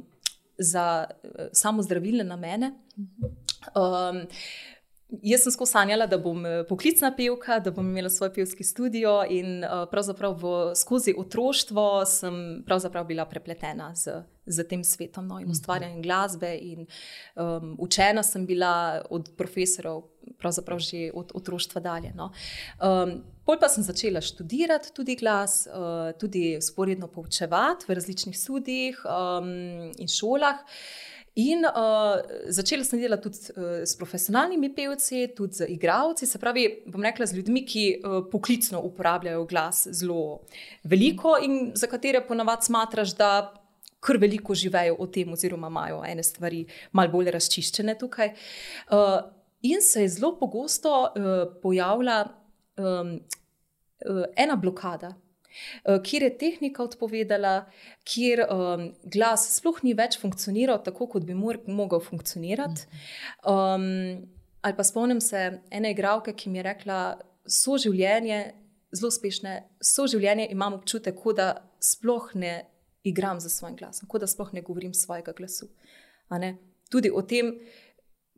za uh, samozdravilne namene. Um, Jaz sem skozi sanjala, da bom poklicna pevka, da bom imela svoj pevski studio in uh, pravzaprav v, skozi otroštvo sem pravzaprav bila prepletena z, z tem svetom, no, in ustvarjanjem glasbe in um, učena sem bila od profesorov pravzaprav že od otroštva dalje. No. Um, pol pa sem začela študirati tudi glas, uh, tudi sporedno poučevati v različnih študijih um, in šolah. In uh, začela sem delati tudi uh, s profesionalnimi pevci, tudi z igralci, se pravi, bom rekla, z ljudmi, ki uh, poklicno uporabljajo glas zelo veliko in za katere ponavadi smatraš, da kar veliko živejo o tem oziroma imajo ene stvari malo bolj razčiščene tukaj. Uh, in se je zelo pogosto uh, pojavila um, uh, ena blokada, kjer je tehnika odpovedala, kjer um, glas sploh ni več funkcioniral tako, kot bi mor, mogel funkcionirati. Um, ali pa spomnim se ene igralke, ki mi je rekla, soživljenje, zelo uspešne, soživljenje imam občutek, kot da sploh ne igram za svojim glasom, kot da sploh ne govorim svojega glasu. A ne? Tudi o tem,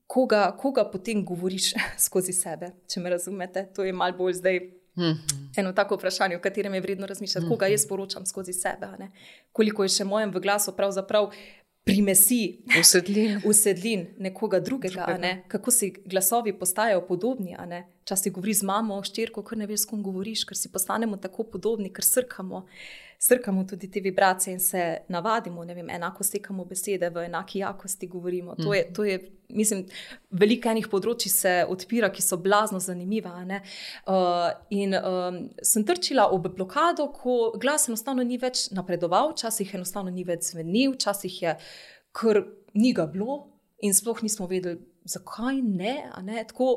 koga, koga potem govoriš skozi sebe, če me razumete. To je malo bolj zdaj Mm-hmm. eno tako vprašanje, o katerem je vredno razmišljati, mm-hmm. koga jaz poročam skozi sebe, ne? Koliko je še mojem v glasu pravzaprav primesi, usedlin, usedlin nekoga drugega, a ne? Kako si glasovi postajajo podobni, a ne? Včasih govori z mamo, ščerko, ker ne veš, s kom govoriš, ker si postanemo tako podobni, ker srkamo, srkamo tudi te vibracije in se navadimo, ne vem, enako stekamo besede, v enaki jakosti govorimo. To je, to je, mislim, veliko enih področji se odpira, ki so blazno zanimiva, a ne? Uh, in um, sem trčila ob blokado, ko glas enostavno ni več napredoval, včasih enostavno ni več zvenil, včasih je, ker ni ga bilo in sploh nismo vedeli, zakaj ne, a ne, tako,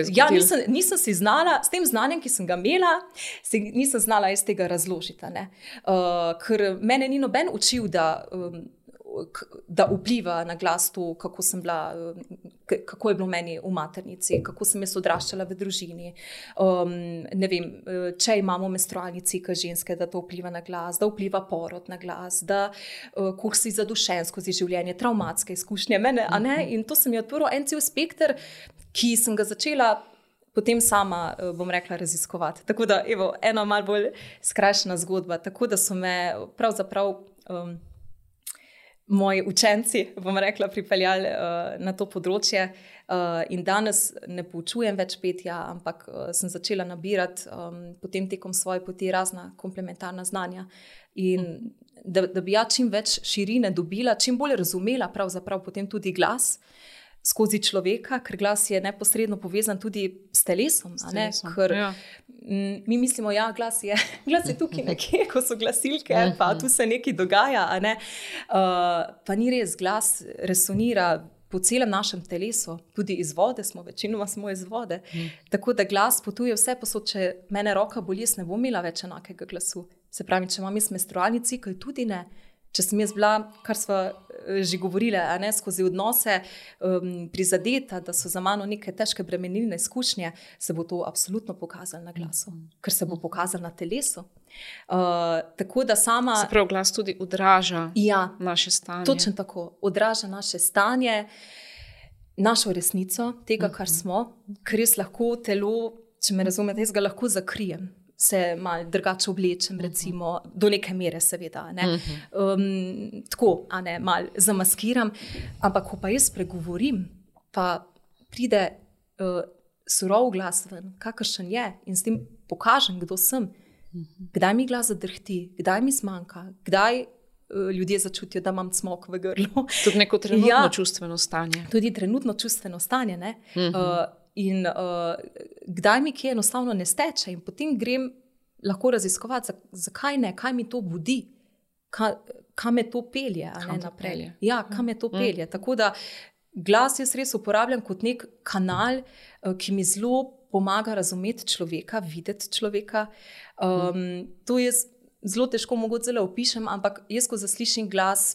ja, nisem, nisem si znala, s tem znanjem, ki sem ga imela, si, nisem znala iz tega razložiti, ne, uh, ker mene ni noben učil, da, um, da vpliva na glas to, kako sem bila, kako je bilo meni v maternici, kako sem jaz odraščala v družini, um, ne vem, če imamo menstrualni cikel ženske, da to vpliva na glas, da vpliva porod na glas, da uh, koliko si zadušen skozi življenje, travmatske izkušnje, mene, a ne, in to sem je odprl en cel spekter, ki sem ga začela potem sama, bom rekla, raziskovati. Tako da, evo, ena malo bolj skrajšana zgodba, tako da so me pravzaprav um, moji učenci, bom rekla, pripeljali uh, na to področje. Uh, in danes ne poučujem več petja, ampak uh, sem začela nabirati um, potem tekom svoje poti razna komplementarna znanja. In da, da bi ja čim več širine dobila, čim bolj razumela pravzaprav potem tudi glas skozi človeka, ker glas je neposredno povezan tudi s telesom. S a ne? telesom, Ker ja. m, mi mislimo, ja, glas je, glas je tukaj nekje, ko so glasilke, pa tu se nekaj dogaja. A ne? Uh, pa ni res, glas resonira po celem našem telesu, tudi iz vode smo, večinoma smo iz vode. Mm. Tako da glas potuje vse posod, če mene roka boli, jaz ne bom imela več enakega glasu. Se pravi, če imam jaz menstrualni cikel, tudi ne. Če sem jaz bila, kar smo že govorili, a ne, skozi odnose um, prizadeta, da so za mano neke težke bremenilne izkušnje, se bo to absolutno pokazalo na glasu, ker se bo pokazalo na telesu. Uh, tako da sama... Se pravi, glas tudi odraža ja, naše stanje. Točno tako, odraža naše stanje, našo resnico, tega, kar smo, ker jaz lahko telo, če me razumete, jaz ga lahko zakrijem. Se malo drugače oblečem, recimo, uh-huh. do neke mere, seveda. Ne? Uh-huh. Um, tako, a ne, malo zamaskiram. Ampak, ko pa jaz pregovorim, pa pride uh, surov glas ven, kakršen je, in s tem pokažem, kdo sem, uh-huh. kdaj mi glas zadrhti, kdaj mi zmanjka, kdaj uh, ljudje začutijo, da imam cmok v grlu. Tudi neko trenutno ja, čustveno stanje. Tudi trenutno čustveno stanje, ne. Uh-huh. Uh, In uh, kdaj mi kje enostavno ne steče in potem grem lahko raziskovati, zakaj ne, kaj mi to budi, kaj, kaj me to pelje, a ne naprej. Ja, kaj me to pelje. Mm. Tako da glas jaz res uporabljam kot nek kanal, uh, ki mi zelo pomaga razumeti človeka, videti človeka. Um, mm. To jaz zelo težko mogoče zelo opišem, ampak jaz, ko zaslišim glas,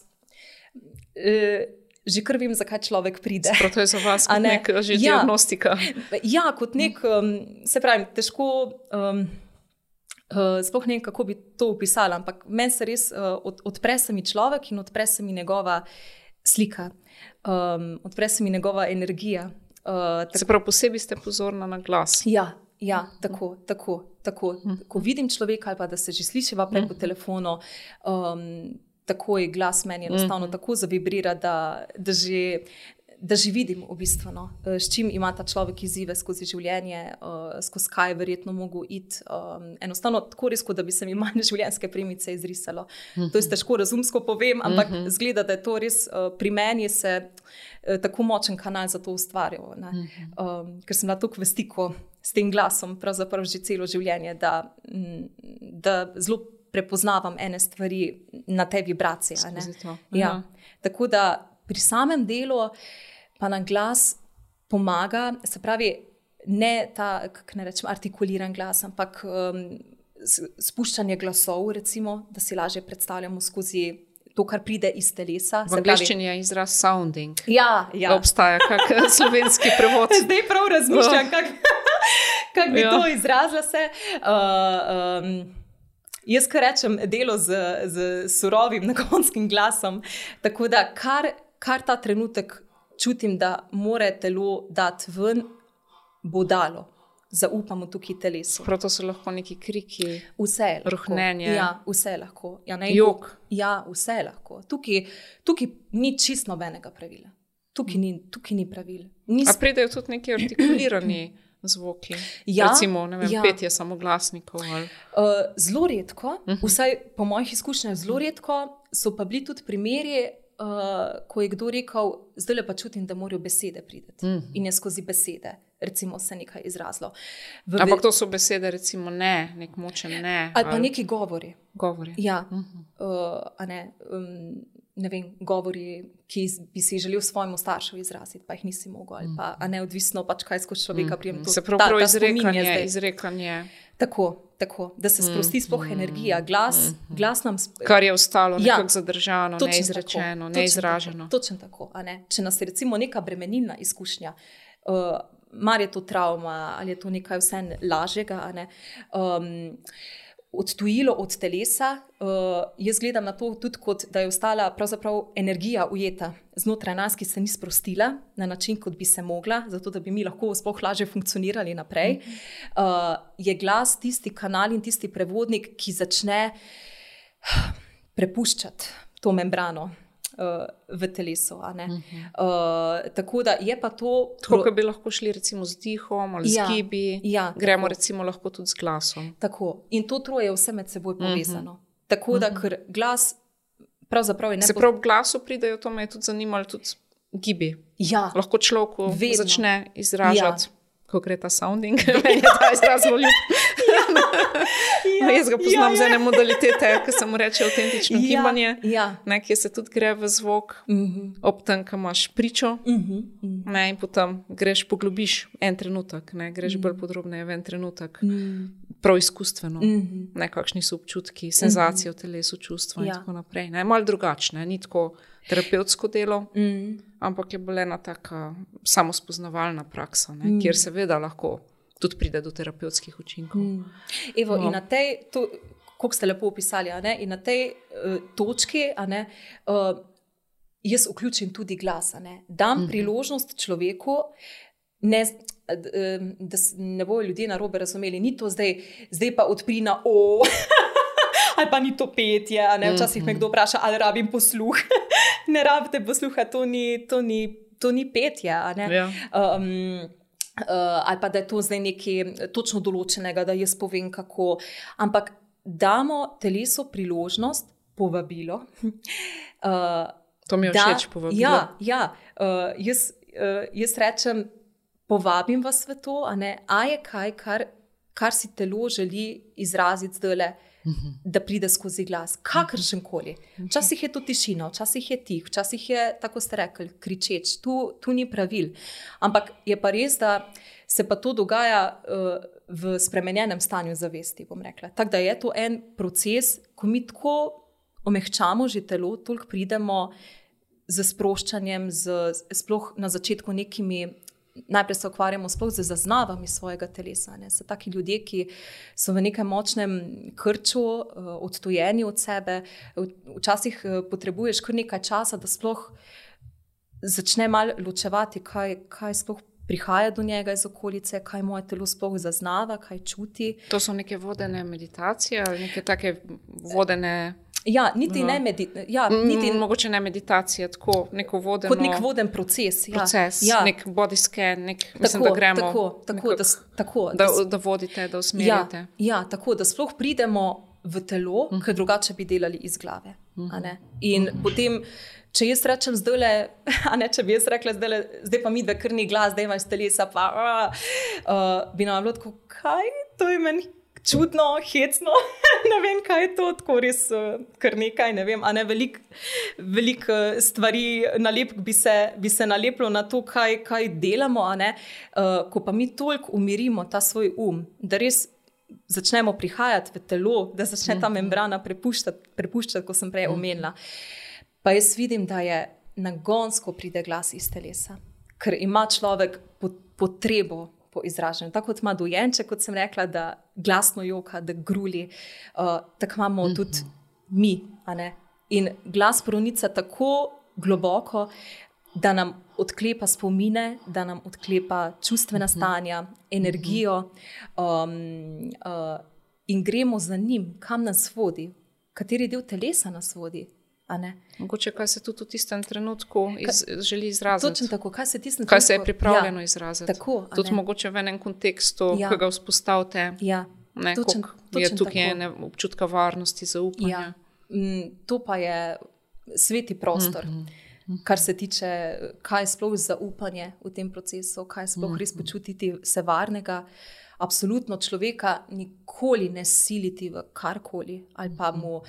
uh, že kar vem, zakaj človek pride. Sprav to je za vas kot ne? nek že ja, diagnostika. Ja, kot nek, um, se pravi, težko, um, uh, sploh ne vem, kako bi to opisala, ampak meni se res uh, od, odpre se mi človek in odpre se mi njegova slika, um, odpre se mi njegova energija. Uh, se pravi, posebej ste pozorna na glas. Ja, ja, tako, tako, tako. Ko vidim človeka ali pa da se že slišiva prej po telefonu, um, takoj glas meni enostavno mm. tako zavibrira, da, da, že, da že vidim v bistvu, no, s čim ima ta človek izzive skozi življenje, uh, skozi kaj je verjetno mogel iti. Um, enostavno tako res, da bi se mi manj življenjske premice izrisalo. Mm-hmm. To je težko razumsko povem, ampak mm-hmm. zgleda, da je to res uh, pri meni se uh, tako močen kanal za to ustvarjal. Mm-hmm. Um, ker sem bila tako v stiku s tem glasom, pravzaprav že celo življenje, da, da zelo prepoznavam ene stvari na te vibracije. Ja. Tako da pri samem delu pa nam glas pomaga, se pravi, ne ta, kako ne rečem, artikuliran glas, ampak um, spuščanje glasov, recimo, da si lažje predstavljamo skozi to, kar pride iz telesa. V angleščini je izraz sounding. Ja, ja. Obstaja kak slovenski prevod. Zdaj prav razmišljam, oh. kako kak bi ja. to izrazila se. Uh, um, Jaz, kar rečem, delo z, z surovim nagonskim glasom, tako da kar, kar ta trenutek čutim, da more telo dati ven, bo dalo. Zaupamo tukaj telesu. Prav to so lahko neki kriki, vse rohnenje. Ja, vse lahko. Ja, jok. Ja, vse lahko. Tukaj, tukaj ni čisto nobenega pravila. Tukaj ni, tukaj ni pravil. Nis... A pridejo tudi neki artikulirani zvoki, ja, recimo, ne vem, ja. petje samoglasnikov. Ali... Uh, zelo redko, uh-huh. vsaj po mojih izkušnjah zelo redko, so pa bili tudi primeri, uh, ko je kdo rekel, zdaj pa čutim, da morajo besede priti. Uh-huh. In je skozi besede, recimo, se nekaj izrazilo. V Ampak to so besede, recimo, ne, nek močen ne. Ali pa ali... neki govori. Govori. Ja, uh-huh. uh, a ne... Um, ne vem, govori, ki bi si želel svojemu staršu izraziti, pa jih nisi mogel, ali pa a neodvisno, pač kaj skozi človeka prijem. Mm. Se prav izrekanje, izrekanje. Tako, tako, da se sprosti sploh mm. energija, glas, mm. glas nam... Sp- Kar je ostalo ja, nekako zadržano, neizrečeno, tako, neizraženo. Točno tako, a ne. Če nas je recimo neka bremenilna izkušnja, uh, mar je to travma, ali je to nekaj vse lažjega, a ne, um, odtujilo od telesa, uh, jaz gledam na to tudi kot, da je ostala pravzaprav energija ujeta znotraj nas, ki se ni sprostila na način, kot bi se mogla, zato da bi mi lahko sploh lažje funkcionirali naprej. Uh, je glas tisti kanal in tisti prevodnik, ki začne prepuščati to membrano. uh, v telesu. A ne? Uh-huh. Uh, tako da je pa to... Tako, kot bi lahko šli recimo z dihom ali ja, z gibi, ja, gremo tako. recimo lahko tudi z glasom. Tako. In to troje je vse med seboj povezano. Uh-huh. Tako da, ker glas pravzaprav je ne... Se prav v glasu pridejo, to me je tudi zanimalo, tudi gibi. Ja. Lahko človeku Vedno. začne izražati, Ja. ko gre ta sounding, meni je ta izraz zelo ljub. Ja, Jaz ga poznam ja, z ja. ene modalitete, ki se mu reče avtentično Ja, gibanje, ja. ne, ki se tudi gre v zvok, Mhm. ob tem, ko imaš pričo, Mhm. Mhm. ne, in potem greš, poglobiš en trenutek, ne, greš bolj podrobneje v en trenutek, prav izkustveno, Mhm. ne, kakšni so občutki, senzacije v telesu, čustva in Ja. tako naprej. Ne, malo drugačne, ni tako terapevtsko delo, Mhm. ampak je bolj ena taka samospoznavalna praksa, ne, kjer seveda lahko tudi pride do terapevtskih učinkov. Mm. Evo, No. in na tej, to, kako ste lepo opisali, a ne, in na tej uh, točki, a ne, uh, jaz vključim tudi glas, a ne, dam mm. priložnost človeku, ne, da ne bojo ljudje narobe razumeli, ni to zdaj, zdaj pa odpri na o, ali pa ni to petje, a ne, včasih me kdo vpraša, ali rabim posluh. Ne rabite posluha, to ni, to ni, to ni petje, a ne. Ja. Um, Uh, ali pa da je to zdaj nekaj točno določenega, da jaz povem kako. Ampak damo telesu priložnost, povabilo. Uh, To mi je da, všeč, povabilo. Ja, ja uh, jaz, uh, jaz rečem, povabim vas v to, a, ne, a je kaj, kar, kar si telo želi izraziti zdajle, uh-huh. da pride skozi glas, kakršen koli. Včasih je to tišina, včasih je tih, včasih je, tako ste rekli, kričeč, tu, tu ni pravil. Ampak je pa res, da se pa to dogaja uh, v spremenjenem stanju zavesti, bom rekla. Tako da je to en proces, ko mi tako omehčamo že telo, toliko pridemo z sproščanjem, z, sploh na začetku nekimi, najprej se ukvarjamo sploh z zaznavami svojega telesa. Ne. So taki ljudje, ki so v nekem močnem krču, odtojeni od sebe. Včasih potrebuješ kar nekaj časa, da sploh začne malo ločevati, kaj, kaj sploh prihaja do njega iz okolice, kaj moje telo sploh zaznava, kaj čuti. To so neke vodene meditacije ali neke take vodene... Ja, niti ne meditacije. Ja, niti... Mogoče ne meditacije, tako neko vodeno... Kot nek voden proces. Ja. Proces, ja. Nek body scan, nek, mislim, tako, da gremo... Tako, tako, da, tako, da, da, da vodite, da usmerjate. Ja, ja, tako, da sploh pridemo v telo, uh-huh. ker drugače bi delali iz glave. Uh-huh. A ne? In uh-huh. potem, če jaz rečem zdajle, a ne, če bi jaz rekla zdajle, zdaj pa mi dve krni glas, zdaj imaš telesa, pa uh, uh, bi nam bilo tako, kaj, to je meni čudno, hecno, ne vem, kaj je to, tako res uh, kar nekaj, ne vem, a ne veliko velik, uh, stvari nalepk bi se, bi se nalepilo na to, kaj, kaj delamo, a ne, uh, ko pa mi toliko umirimo ta svoj um, da res začnemo prihajati v telo, da začne ta membrana prepuščati, prepuščati, ko sem prej omenila. Pa jaz vidim, da je nagonsko pride glas iz telesa, ker ima človek potrebo po izražanju. Tako kot ima dojenček, kot sem rekla, da glasno joka, da gruli, uh, tako imamo uh-huh. tudi mi. A ne? In glas pronica tako globoko, da nam odklepa spomine, da nam odklepa čustvena stanja, energijo um, uh, in gremo za njim, kam nas vodi, kateri del telesa nas vodi. Mogoče, kaj se tudi v tistem trenutku iz, kaj, želi izraziti. Točno tako, kaj se, tistem kaj se je trenutku, pripravljeno ja, izraziti. Tako, tudi mogoče v enem kontekstu, ja. ki ga vzpostavite, ja, ne, točen, je tukaj ene občutka varnosti, zaupanja. Ja. Mm, to pa je sveti prostor, mm-hmm. kar se tiče, kaj je sploh zaupanje v tem procesu, kaj je sploh mm-hmm. res počutiti se varnega. Absolutno človeka nikoli ne siliti v karkoli ali pa mu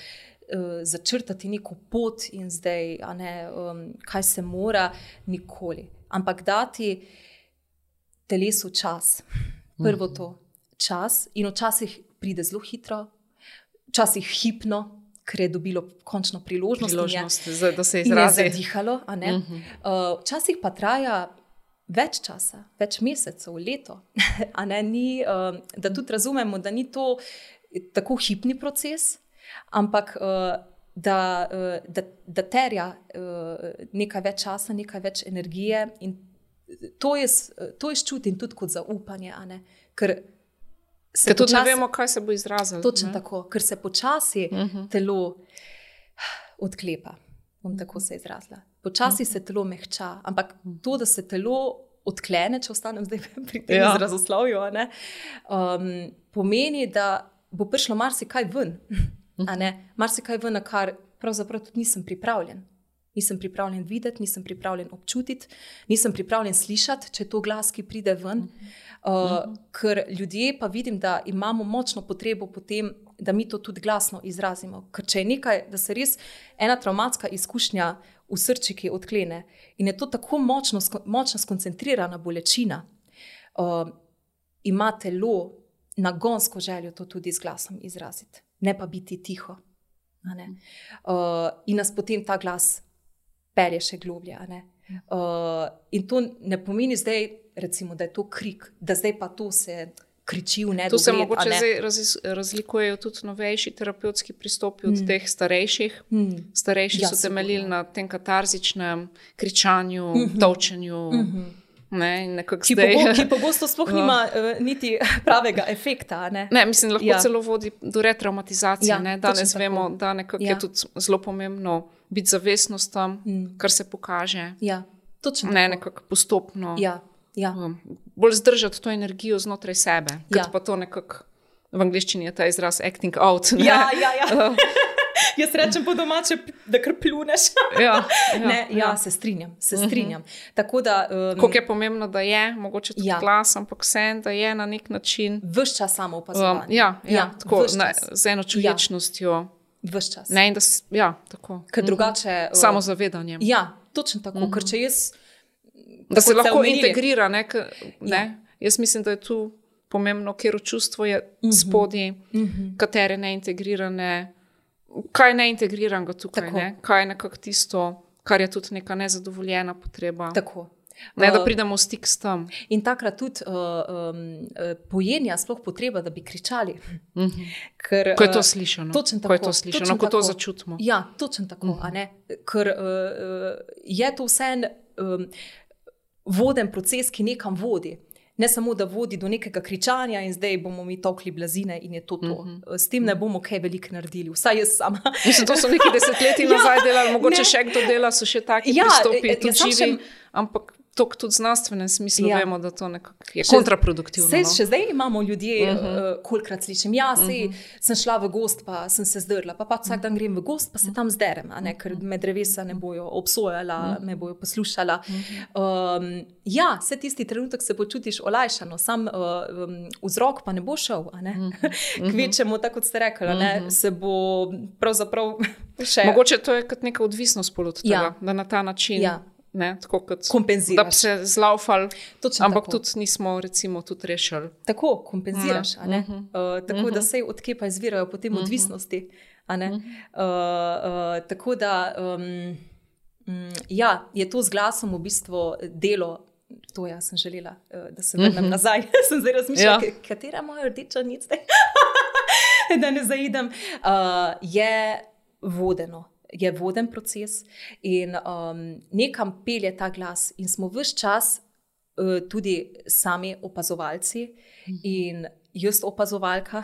začrtati neko pot in zdaj, a ne, um, kaj se mora, nikoli. Ampak dati telesu čas. Prvo to, čas. In včasih pride zelo hitro, včasih hipno, ker je dobilo končno priložnost. Priložnost, je, da se izrazi. In je zadihalo, a ne. Uh-huh. Uh, včasih pa traja več časa, več mesecev, leto. A ne, ni, uh, da tudi razumemo, da ni to tako hipni proces, ampak uh, da, uh, da, da terja uh, nekaj več časa, nekaj več energije in to je, to je čutim tudi kot zaupanje, a ne? Ker se počasi, tudi ne vemo, kaj se bo izrazilo. Točno ne? Tako, ker se počasi uh-huh. telo odklepa. bom tako se izrazila. Počasi se telo mehča, ampak to, da se telo odklene, če ostanem zdaj pri tem ja. izrazoslovju, ne, um, pomeni, da bo prišlo marsikaj ven. A ne? Marsikaj ven, na kar pravzaprav tudi nisem pripravljen. Nisem pripravljen videti, nisem pripravljen občutiti, nisem pripravljen slišati, če je to glas, ki pride ven. Uh, ker ljudje pa vidim, da imamo močno potrebo potem, da mi to tudi glasno izrazimo. Ker če je nekaj, da se res ena travmatska izkušnja v srčiki odklene in je to tako močno, močno skoncentrirana bolečina, uh, ima telo nagonsko željo to tudi z glasom izraziti, ne pa biti tiho. A ne? Uh, in nas potem ta glas pelje še globlje. A ne? Uh, in to ne pomeni zdaj, recimo, da je to krik, da zdaj pa to se kriči v nedogled. To se mogoče zdaj raz, razlikujejo tudi novejši terapevtski pristopi od mm. teh starejših. Mm. Starejši ja, so temeljili na tem katarzičnem kričanju, mm-hmm. tolčenju. Mm-hmm. Ne, ki, zdaj, pogo, ki pogosto sploh nima uh, niti pravega efekta. Ne, ne mislim, lahko ja. celo vodi do retraumatizacije. Ja, ne? Danes vemo, tako. da nekako ja. je tudi zelo pomembno biti zavestnost tam, mm. kar se pokaže. Ja, ne, nekako postopno. Ja, ja. Um, bolj zdržati to energijo znotraj sebe. Ja. Pa to nekako, v angliščini je ta izraz acting out. Ne? Ja, ja, ja. Jaz rečem po domače, da kar pluneš. Ja, ja, ne, ja, ja, se strinjam, se strinjam. Uh-huh. Tako da, um, koliko je pomembno, da je, mogoče tudi ja. glas, ampak vsem, da je na nek način. Ves čas samo opazovanje. Um, ja, ja, ja, tako, na, z eno čuječnostjo. Ja. Ves čas. Ne, in da, ja, tako. Ker drugače... Uh, samo zavedanjem. Ja, točno tako, uh-huh. ker če jaz... Da se lahko omenili. integrira, ne, k, ne. Ja. Jaz mislim, da je tu pomembno, ker čustvo je uh-huh. spodaj, uh-huh. katere neintegrirane... Kaj je neintegriranega tukaj, ne? Kaj je nekako tisto, kar je tudi neka nezadovoljena potreba. Tako. Ne, da pridemo v stik s tem. In takrat tudi uh, um, pojenja sploh potreba, da bi kričali. Mm-hmm. Ker, ko je to slišano. Točno tako. Ko je to slišano, ko to začutimo. Ja, točno tako. Mm-hmm. A ne? Ker uh, je to vse en um, voden proces, ki nekam vodi. Ne samo, da vodi do nekega kričanja in zdaj bomo mi tokli blazine in je to to. Mm-hmm. S tem ne bomo kaj veliko naredili. Vsaj jaz sama. Mislim, to so neki desetletji nazaj ja, delali, mogoče ne. še kdo dela, so še taki ja, pristopi, tudi živi, še... ampak to tudi znanstvenem smislu ja. vemo, da to nekako je še, kontraproduktivno. Sej, no? Še zdaj imamo ljudje, uh-huh. uh, kolikrat slišim, ja, sej, uh-huh. sem šla v gost, pa sem se zdrla, pa pa vsak dan grem v gost, pa se tam zderem, a ne, ker me drevesa ne bojo obsojala, uh-huh. me bojo poslušala. Uh-huh. Um, ja, vse tisti trenutek se počutiš olajšano, sam uh, um, vzrok pa ne bo šel, a ne. Uh-huh. Kvečemo, tako kot ste rekli, uh-huh. se bo pravzaprav še... Mogoče to je kot neka odvisnost pol od tega, ja. da na ta način... Ja. Ne, tako kot kompenziraš. Da bi se zlaufali, ampak tako. Tudi nismo recimo tudi rešili. Tako, kompenziraš. A ne? Uh-huh. Uh, tako uh-huh. da sej odkje pa izvirajo potem uh-huh. odvisnosti. A ne? Uh-huh. Uh, uh, tako da, um, um, ja, je to z glasom v bistvu delo, to ja sem želela, uh, da se vrnem uh-huh. nazaj. sem zdaj razmišljala, ja. katera moja rdeča nic zdaj, da ne zaidem. Uh, je vodeno. Je voden proces in um, nekam pelje ta glas in smo ves čas uh, tudi sami opazovalci mm. in jaz opazovalka,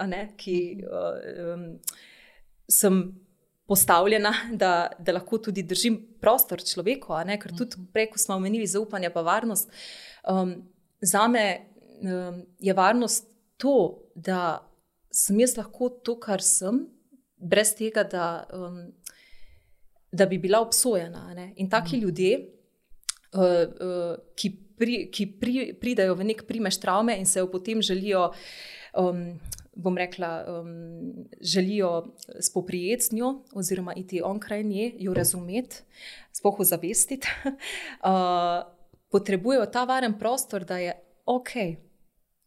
a ne, ki uh, um, sem postavljena, da, da lahko tudi držim prostor človeku, a ne, ker tudi prej, ko smo omenili zaupanje pa varnost, um, zame um, je varnost to, da sem jaz lahko to, kar sem, brez tega, da um, da bi bila obsojena. Ne? In taki mm. ljudje, uh, uh, ki, pri, ki pri, pridajo v nek primež travme in se jo potem želijo, um, bom rekla, um, želijo spoprijeti z njo oziroma iti onkraj nje, jo razumeti, sploh ozavestiti, uh, potrebujejo ta varen prostor, da je ok.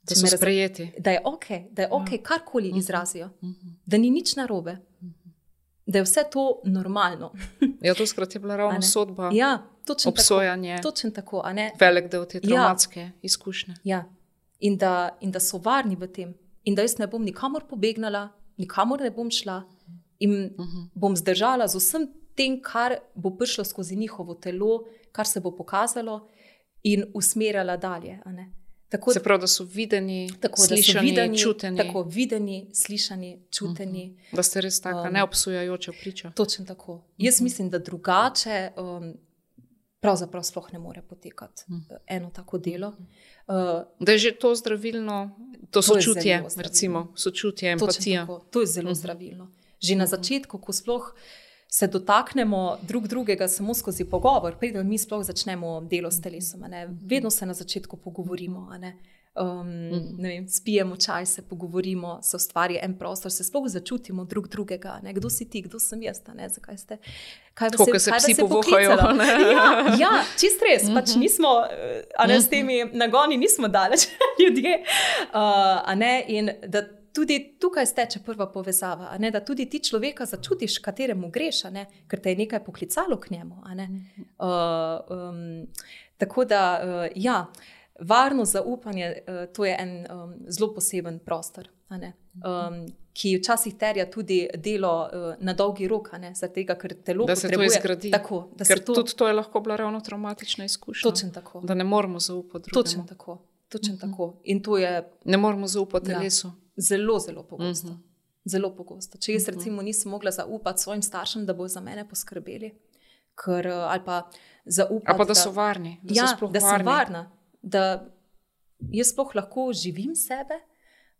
Da so sprejeti. Da je ok, da je ok, ja. karkoli mm-hmm. izrazijo. Mm-hmm. Da ni nič narobe. Mm-hmm. Da je vse to normalno. Ja, to skrat je bila ravno sodba, ja, obsojanje, tako, točno tako, a ne? Velik del te traumatske ja. izkušnje. Ja, in da, in da so varni v tem. In da jaz ne bom nikamor pobegnala, nikamor ne bom šla in uh-huh. bom zdržala z vsem tem, kar bo prišlo skozi njihovo telo, kar se bo pokazalo in usmerjala dalje. A ne? Tako, se pravi, da so videni, tako, slišani, da so videni, čuteni. Tako, videni, slišani, čuteni. Uh -huh. Da ste res taka um, neobsojajoča priča. Točno tako. Uh -huh. Jaz mislim, da drugače um, pravzaprav sploh ne more potekati uh -huh. eno tako delo. Uh, da je že to zdravilno, to, to sočutje, recimo, sočutje, empatija. To je zelo uh -huh. zdravilno. Že uh -huh. na začetku, ko sploh se dotaknemo drug drugega samo skozi pogovor, preden mi sploh začnemo delo s telesom. Vedno se na začetku pogovorimo, a ne? Um, ne vem, spijemo čaj, se pogovorimo, se ustvari en prostor, se sploh začutimo drug drugega. Ne? Kdo si ti, kdo sem jaz, ne? Zakaj ste? Kaj vas je, se psi povohajo? Ja, ja, čist res, pač nismo, a ne, s temi nagoni nismo daleč ljudje. Uh, a ne, in da tudi tukaj steče prva povezava, a ne, da tudi ti človeka začutiš, kateremu greš, a ne, ker te je nekaj poklicalo k njemu. A ne. Uh, um, tako da, uh, ja, varno zaupanje, uh, to je en um, zelo poseben prostor, a ne, um, ki včasih terja tudi delo uh, na dolgi rok, a ne, zaradi tega, ker telo da se potrebuje. To izgradi. Tako, da ker se to... tudi to je lahko bila ravno traumatična izkušnja. Točno tako. Da ne moramo zaupati drugemu. Točno tako, točno tako. In to je... Ne moramo zaupati telesu. Ja. Zelo, zelo pogosto. Uh-huh. Zelo pogosto. Če jaz recimo nisem mogla zaupati svojim staršem, da bo za mene poskrbeli, ker, ali pa zaupati, ali pa da so varni, da ja, so sploh da varni. sem varna, da jaz sploh lahko živim sebe,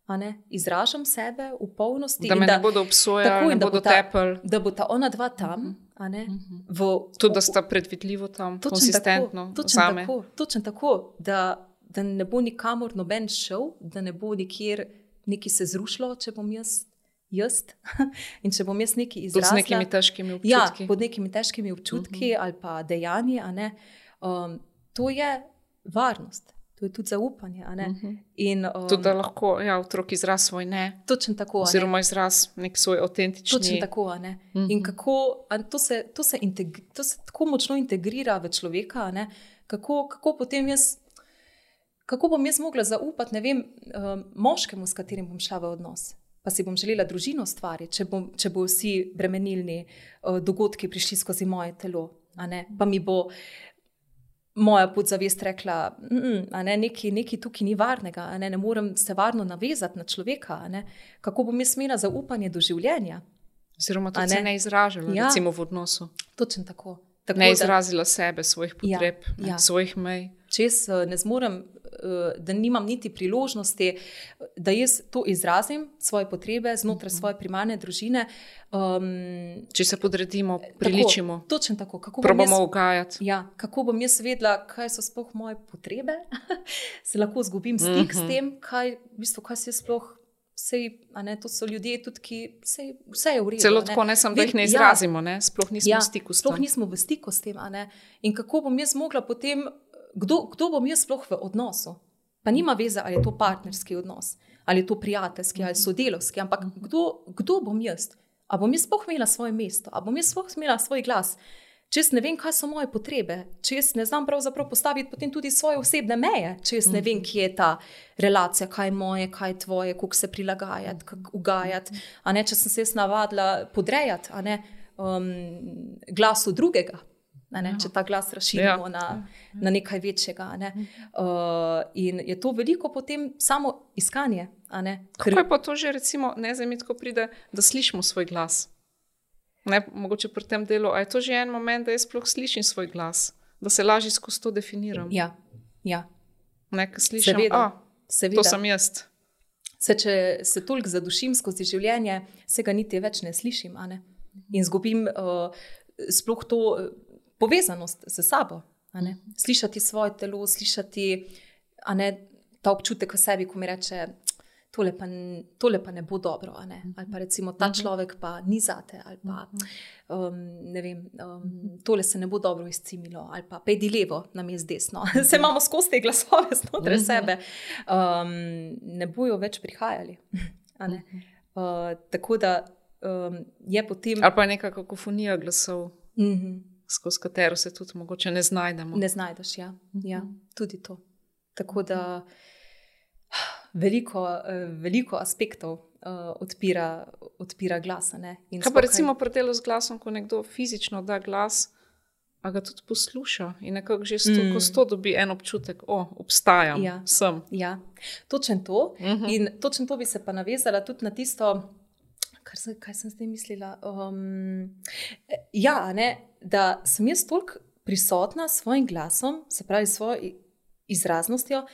a ne, izražam sebe v polnosti. Da me da, ne bodo obsojali, ne bodo tepali. Da bo ta ona dva tam, uh-huh. a ne. Uh-huh. V, tudi, da sta predvidljivo tam, točen konsistentno tako, točen zame. Tako, točen tako, da, da ne bo nikamor noben šel, da ne bo nikjer nekaj se zrušilo, če bom jaz, jaz in če bom jaz nekaj izrazila. Tudi z nekimi težkimi občutki. Ja, pod nekimi težkimi občutki uh-huh. ali pa dejanji, a ne. Um, to je varnost, to je tudi zaupanje, a ne. Uh-huh. In, um, tudi, da lahko, ja, otrok izraz svoj ne. Točno tako, a ne. Oziroma izraz nek svoj avtentični. Točno tako, a ne. Uh-huh. In kako, a to se, to se, integri, to se tako močno integrira v človeka, a ne. Kako, kako potem jaz Kako bom jaz mogla zaupati, ne vem, moškemu, s katerim bom šla v odnos, pa si bom želela družino ustvariti, če, če bo vsi bremenilni dogodki prišli skozi moje telo, a ne, pa mi bo moja podzavest rekla, a ne, nekaj, nekaj tukaj ni varnega, a ne, ne morem se varno navezati na človeka, a ne, kako bom jaz imela zaupanje do življenja. Oziroma to se ne izražala, ja. recimo v odnosu. Točno tako. Tako ne izrazila da, sebe, svojih potreb, ja, ne, ja. svojih mej. Če jaz ne zmorem, da nimam niti priložnosti, da jaz to izrazim, svoje potrebe znotraj uh-huh. svoje primarne družine. Um, Če se podredimo, priličimo, tako, točno tako. Kako probamo ugajati. Ja, kako bom jaz vedela, kaj so sploh moje potrebe, se lahko zgubim stik uh-huh. s tem, kaj, v bistvu, kaj se sploh. Sej, a ne, to so ljudje tudi, ki sej, vse je v redu. Celo tako, ne, sem, da jih ne izrazimo, ne, sploh nismo ja, v stiku s tem. Sploh nismo v stiku s tem, a ne. In kako bom jaz mogla potem, kdo, kdo bom jaz sploh v odnosu? Pa nima veze, ali je to partnerski odnos, ali je to prijateljski, ali sodelovski, ampak kdo, kdo bom jaz? A bom jaz sploh imela svoje mesto? A bom jaz sploh imela svoj glas? Če jaz ne vem, kaj so moje potrebe, če jaz ne znam pravzaprav postaviti potem tudi svoje osebne meje, če jaz ne vem, kje je ta relacija, kaj je moje, kaj je tvoje, kako se prilagajati, kako ugajati, a ne, če sem se jaz navadila podrejati, a ne, um, glasu drugega, a ne, če ta glas razširimo ja. na, na nekaj večjega, a ne. Uh, in je to veliko potem samo iskanje, a ne. Kako je pa to že recimo, ne vem, ko pride, da slišimo svoj glas? Ne, mogoče pri tem delu, a je to že en moment, da jaz sploh slišim svoj glas, da se lažje skozi to definiram. Ja, ja. Nekaj slišim, seveda, a, seveda. To sem jaz. Se, če se toliko zadušim skozi življenje, se ga niti več ne slišim, a ne? In zgubim uh, sploh to povezanost z sabo, a ne? Slišati svoje telo, slišati, a ne, ta občutek v sebi, ko mi reče, Tole pa, tole pa ne bo dobro, a ne? Ali pa recimo ta človek pa ni zate, ali pa um, ne vem, um, tole se ne bo dobro izcimilo, ali pa pejdi levo, namest desno. Se imamo skozi te glasove znotraj sebe. Um, ne bojo več prihajali. A ne? Uh, tako da um, je potem... Ali pa je neka kakofonija glasov, uh-huh. skozi katero se tudi mogoče ne znajdemo. Ne znajdeš, ja. ja. Tudi to. Tako da... Veliko, veliko aspektov uh, odpira, odpira glasa. Ne? Kaj pa recimo pri delu z glasom, ko nekdo fizično da glas, a ga tudi posluša in nekako že sto, mm. sto dobi en občutek, o, obstajam, ja. sem. Ja, točno to. Mhm. In točno to bi se pa navezala tudi na tisto, kar se, kaj sem zdaj mislila. Um, ja, ne, da sem jaz toliko prisotna s svojim glasom, se pravi s svojo izraznostjo,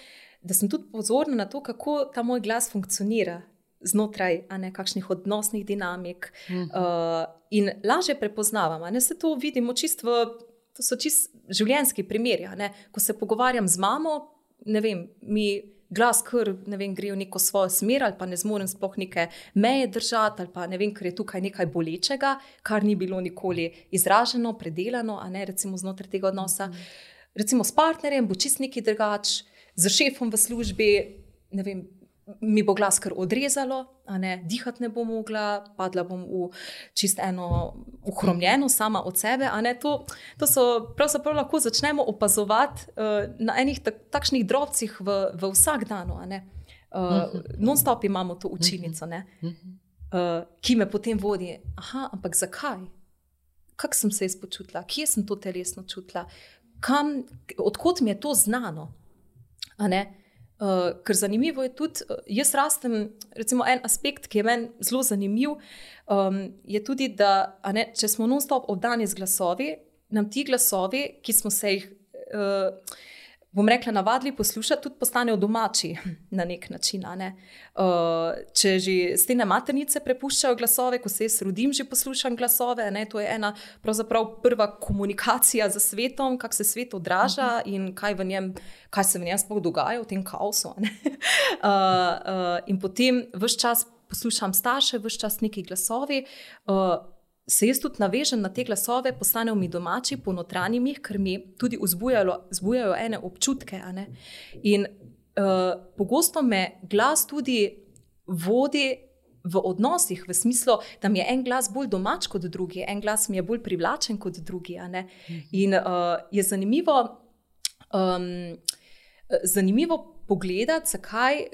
da sem tudi pozorna na to, kako ta moj glas funkcionira znotraj a ne, kakšnih odnosnih dinamik mm. uh, in lažje prepoznavam. A ne, se to vidimo čisto v, to so čisto življenjski primeri. A ne, ko se pogovarjam z mamo, ne vem, mi glas kar, ne vem, gre v neko svojo smer ali pa ne zmorem sploh neke meje držati ali pa ne vem, ker je tukaj nekaj bolečega, kar ni bilo nikoli izraženo, predelano, a ne, recimo znotraj tega odnosa. Mm. Recimo s partnerjem bo čist nekaj drugače, z šefom v službi, ne vem, mi bo glas kar odrezalo, a ne, dihati ne bom mogla, padla bom v čist eno uhromljeno sama od sebe, a ne, to, to so pravzaprav lahko začnemo opazovati uh, na enih tak, takšnih drobcih v, v vsak danu, a ne. Uh, non-stop imamo to učilnico, ne, uh, ki me potem vodi, aha, ampak zakaj? Kako sem se jaz počutila? Kje sem to telesno čutila? Kam, odkot mi je to znano? A ne? Uh, ker zanimivo je tudi, uh, jaz rastem, recimo en aspekt, ki je meni zelo zanimiv, um, je tudi, da a ne, če smo non-stop obdani z glasovi, nam ti glasovi, ki smo se jih, uh, bom rekla, navadili poslušati, tudi postanejo domači na nek način. A ne? Uh, če že stene maternice prepuščajo glasove, ko se jaz rodim, že poslušam glasove, ne? To je ena pravzaprav prva komunikacija z svetom, kako se svet odraža uh-huh. in kaj, v njem, kaj se v njem sploh dogaja v tem kaosu. A ne? uh, uh, in potem ves čas poslušam starše, ves čas neki glasovi, uh, se jaz tudi navežem na te glasove, postanejo mi domači, ponotranjim jih, ker mi tudi vzbujajo ene občutke. A ne? In uh, pogosto me glas tudi vodi v odnosih, v smislu, da mi je en glas bolj domač kot drugi, en glas mi je bolj privlačen kot drugi. A ne? In uh, je zanimivo, um, zanimivo pogledati, zakaj,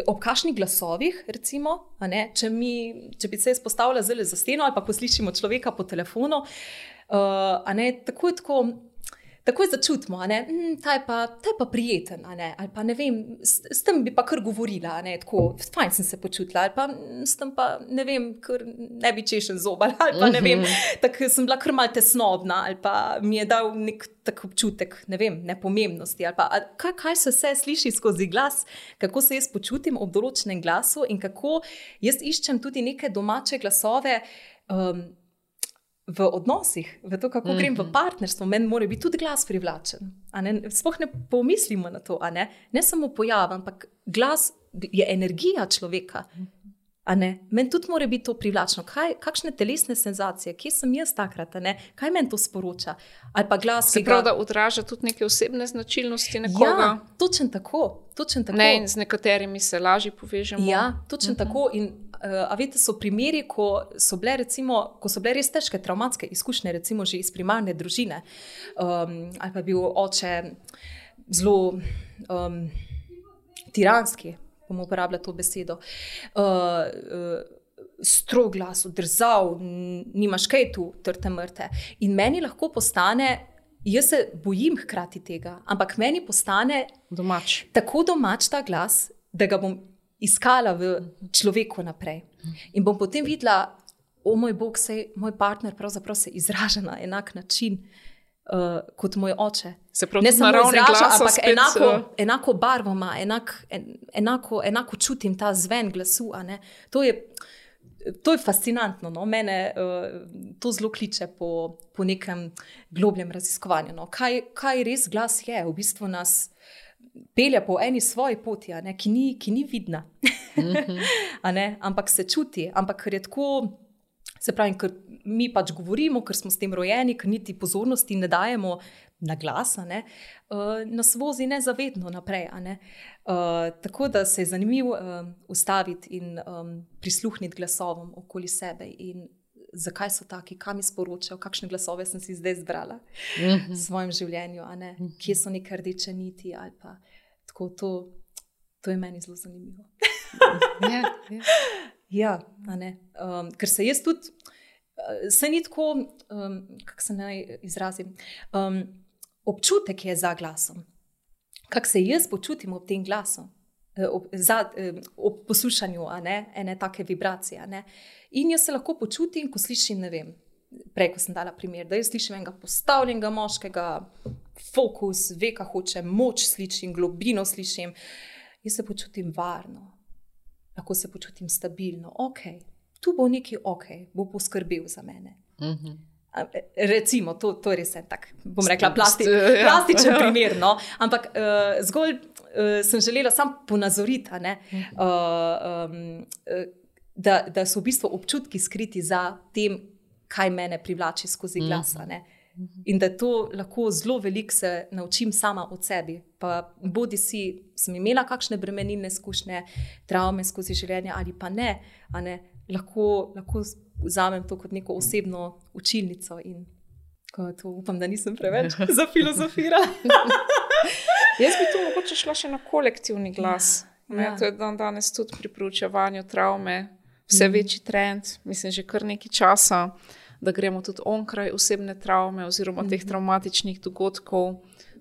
ob kakšnih glasovih, recimo, a ne, če, mi, če bi se jaz postavila zelo za steno ali pa ko slišimo človeka po telefonu, uh, a ne, takoj tako, takoj začutimo, a ne, hm, ta je pa, ta je pa prijeten, a ne, ali pa ne vem, s, s tem bi pa kar govorila, a ne, tako, fajn sem se počutila, ali pa s tem pa, ne vem, kar ne bi češen zob, ali pa ne vem, tako sem bila kar mal tesnobna, ali pa mi je dal nek tak občutek, ne vem, nepomembnosti, ali pa kaj, kaj se vse sliši skozi glas, kako se jaz počutim ob določenem glasu in kako jaz iščem tudi neke domače glasove um, v odnosih, v to, kako mm-hmm. grem v partnerstvo, meni mora biti tudi glas privlačen. A ne? Sploh ne pomislimo na to, a ne? Ne samo pojav, ampak glas je energija človeka. A ne? Meni tudi mora biti to privlačno. Kaj, kakšne telesne senzacije, kje sem jaz takrat, a ne? Kaj meni to sporoča? Ali pa glas, se pravi, da odraža tudi neke osebne značilnosti nekoga? Ja, točno tako. Točen tako. Ne, in z nekaterimi se lažje povežemo. Ja, točno uh-huh. tako. In uh, a veste, so primeri, ko so bile recimo, ko so bile res težke traumatske izkušnje, recimo že iz primarne družine, um, ali pa je bil oče zelo um, tiranski, bom uporabljala to besedo, uh, uh, strog glas, odrzav, nimaš kaj tu, trte mrte. In meni lahko postane, jaz se bojim hkrati tega, ampak meni postane domač. Tako domač ta glas, da ga bom iskala v človeku naprej. In bom potem videla, o moj Bog, sej moj partner pravzaprav se izraža na enak način uh, kot moj oče. Se pravi, ne samo izraža, ampak spet, enako, uh... enako barvo ima, enak, en, enako, enako čutim ta zven glasu. A ne? To je To je fascinantno, no? Mene uh, to zelo kliče po, po nekem globljem raziskovanju. No? Kaj, kaj res glas je? V bistvu nas pelje po eni svoji poti, a ne? Ki, ni, ki ni vidna, mm-hmm. a ne? Ampak se čuti. Ampak ker je tako, se pravi, ker mi pač govorimo, ker smo s tem rojeni, ker niti pozornosti ne dajemo na glas, a ne? Uh, nas vozi nezavedno naprej. A ne? Uh, tako da se je zanimivo uh, ustaviti in um, prisluhniti glasovom okoli sebe in zakaj so taki, kam mi sporočajo, kakšne glasove sem si zdaj zbrala mm-hmm. v svojem življenju, a ne? Mm-hmm. Kje so neke rdeče niti ali pa tako, to, to je meni zelo zanimivo. yeah, yeah. Ja, a ne? Um, ker se jaz tudi se ni tako, um, kako se naj izrazim, um, občutek je za glasom. Kako se jaz počutim ob tem glasu, ob, za, ob poslušanju a ne, ene take vibracije. A ne. In jaz se lahko počutim, ko slišim, ne vem, prej, ko sem dala primer, da jaz slišim enega postavljenega moškega, fokus, ve, kaj hoče, moč slišim, globino slišim. Jaz se počutim varno, lahko se počutim stabilno. Ok, tu bo nekaj ok, bo poskrbel za mene. Mhm. Recimo, to, to je res en tak, bom rekla, plasti, plastičen primer, no? Ampak uh, zgolj uh, sem želela sam ponazoriti, ne? uh, um, da, da so v bistvu občutki skriti za tem, kaj mene privlači skozi glas. Ne? In da to lahko zelo veliko se naučim sama od sebi. Pa bodi si, sem imela kakšne bremenilne izkušnje, travme skozi življenje ali pa ne, a ne? Lahko, lahko vzamem to kot neko osebno učilnico in to upam, da nisem preveč zafilozofirala. Jaz bi tu mogoče šla še na kolektivni glas. Ja, ja. To je dan danes tudi pri proučevanju travme vse večji trend, mislim že kar nekaj časa, da gremo tudi onkraj osebne travme oziroma mm-hmm. teh travmatičnih dogodkov,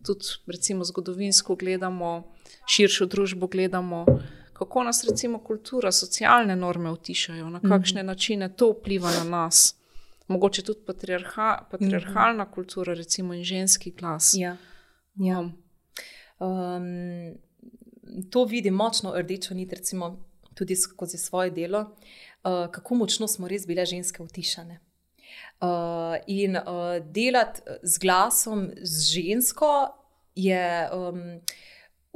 tudi recimo zgodovinsko gledamo, širšo družbo gledamo, kako nas recimo kultura, socialne norme utišajo, na kakšne mm-hmm. načine to vpliva na nas. Mogoče tudi patriarha, patriarhalna mm-hmm. kultura, recimo in ženski glas. Ja. Ja. Um, to vidim močno rdečo nit, recimo tudi skozi svoje delo, uh, kako močno smo res bile ženske utišane. Uh, in uh, delati z glasom, z žensko je um,